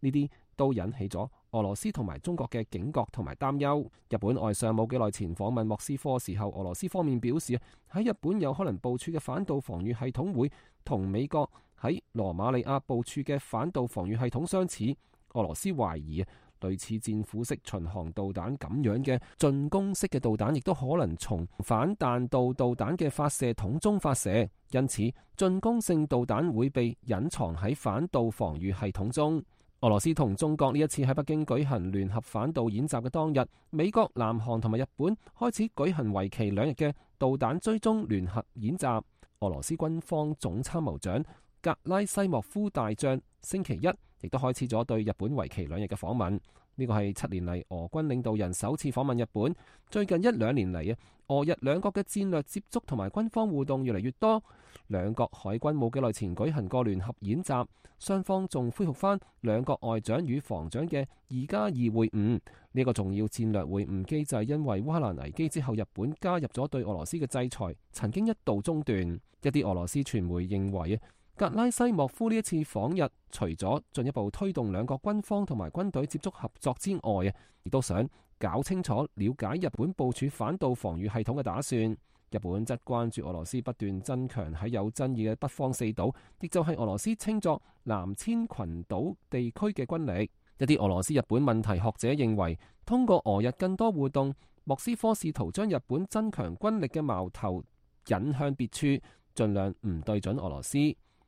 S8: 呢啲都引起咗俄羅斯同埋中國嘅警覺同埋擔憂。日本外相冇幾耐前訪問莫斯科時候，俄羅斯方面表示喺日本有可能部署嘅反導防禦系統會同美國喺羅馬尼亞部署嘅反導防禦系統相似。俄羅斯懷疑類似戰斧式巡航導彈咁樣嘅進攻式嘅導彈，亦都可能從反彈道導彈嘅發射筒中發射，因此進攻性導彈會被隱藏喺反導防禦系統中。俄羅斯同中國呢一次喺北京舉行聯合反導演習嘅當日，美國、南韓同埋日本開始舉行為期2日嘅導彈追蹤聯合演習。俄羅斯軍方總參謀長格拉西莫夫大將星期一亦都開始咗對日本為期2日嘅訪問。呢呢個係7年嚟俄軍領導人首次訪問日本。最近1-2年嚟俄日兩國嘅戰略接觸同埋軍方互動越嚟越多。兩國海軍冇幾耐前舉行過聯合演習，雙方仲恢復翻兩國外長與防長嘅2+2會晤。呢個重要戰略會晤機制因為烏克蘭危機之後日本加入咗對俄羅斯嘅制裁，曾經一度中斷。一啲俄羅斯傳媒認為格拉西莫夫呢一次訪日，除咗進一步推動兩國軍方同埋軍隊接觸合作之外，亦都想搞清楚了解日本部署反導防禦系統嘅打算。日本則關注俄羅斯不斷增強喺有爭議嘅北方四島，亦就係俄羅斯稱作南千群島地區嘅軍力。一啲俄羅斯日本問題學者認為，通過俄日更多互動，莫斯科試圖將日本增強軍力嘅矛頭引向別處，盡量唔對準俄羅斯。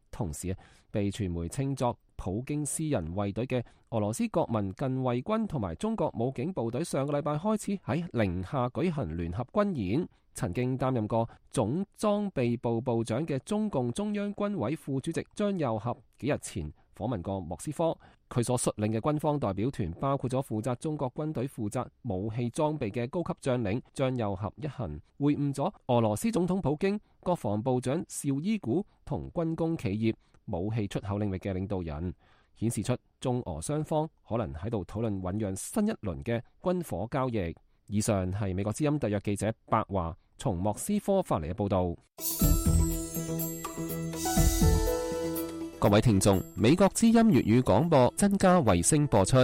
S8: 同時被傳媒稱作普京私人衛隊嘅俄羅斯國民近衛軍同埋中國武警部隊上個禮拜開始喺寧夏舉行聯合軍演。曾經擔任過總裝備部部長嘅中共中央軍委副主席張又俠幾日前訪問過莫斯科，佢所率領嘅軍方代表團包括咗負責中國軍隊負責武器裝備嘅高級將領。張又俠一行會晤咗俄羅斯總統普京、國防部長紹伊古同軍工企業、武器出口領域嘅領導人，顯示出中俄雙方可能喺度討論醞釀新一輪嘅軍火交易。以上係美國之音特約記者白華從莫斯科發嚟嘅報道。各位聽眾，美國之音粵語廣播增加衛星播出。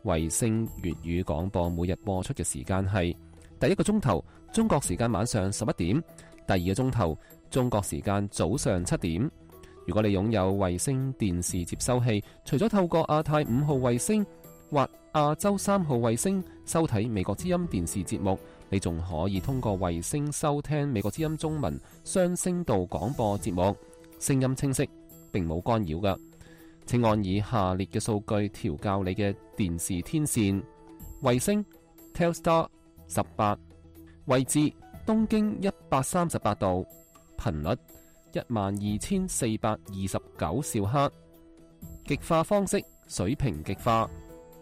S8: 衛星粵語廣播每日播出嘅時間係第一個鐘頭中國時間晚上11點，第二個鐘頭中國時間早上7點。如果你擁有衛星電視接收器，除咗透過亞太5號衛星或亞洲3號衛星收睇美國之音電視節目，你仲可以通過衛星收聽美國之音中文雙聲道廣播節目，聲音清晰，並冇干擾㗎。請按以下列嘅數據調校你嘅電視天線：衛星 Telstar 18，位置東經138度，頻率12429兆赫，極化方式水平極化，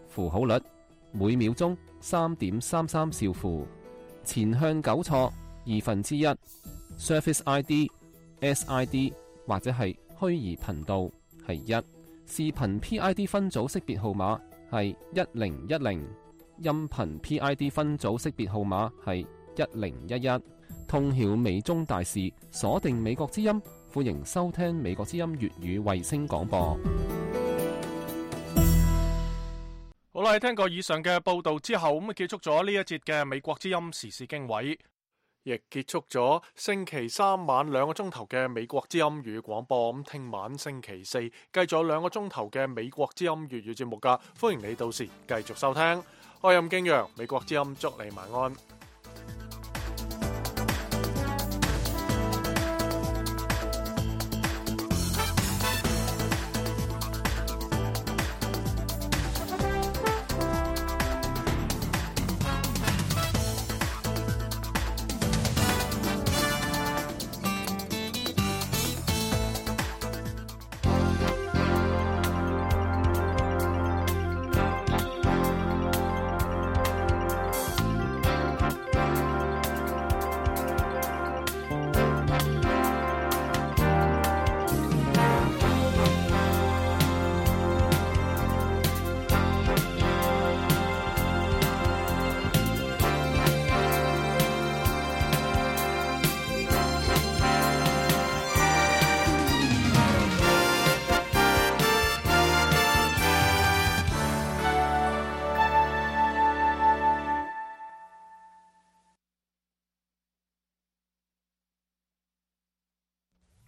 S8: 符號率每秒鐘3.33兆符，前向糾錯1/2， Surface ID SID 或者係虛擬頻道係1，視頻 PID 分組識別號碼係1010，音頻 PID 分組識別號碼係1011。通曉美中大事，鎖定美國之音，歡迎收聽美國之音粵語衛星廣播。
S1: 好啦，聽過以上嘅報道之後，咁結束咗呢一節嘅美國之音時事經緯，亦結束咗星期三晚2個鐘頭嘅美國之音粵語廣播。咁聽晚星期四繼續2個鐘頭嘅美國之音粵語節目噶，歡迎你到時繼續收聽。我係任敬陽，美國之音祝你晚安。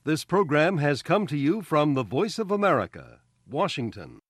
S9: This program has come to you from the Voice of America, Washington.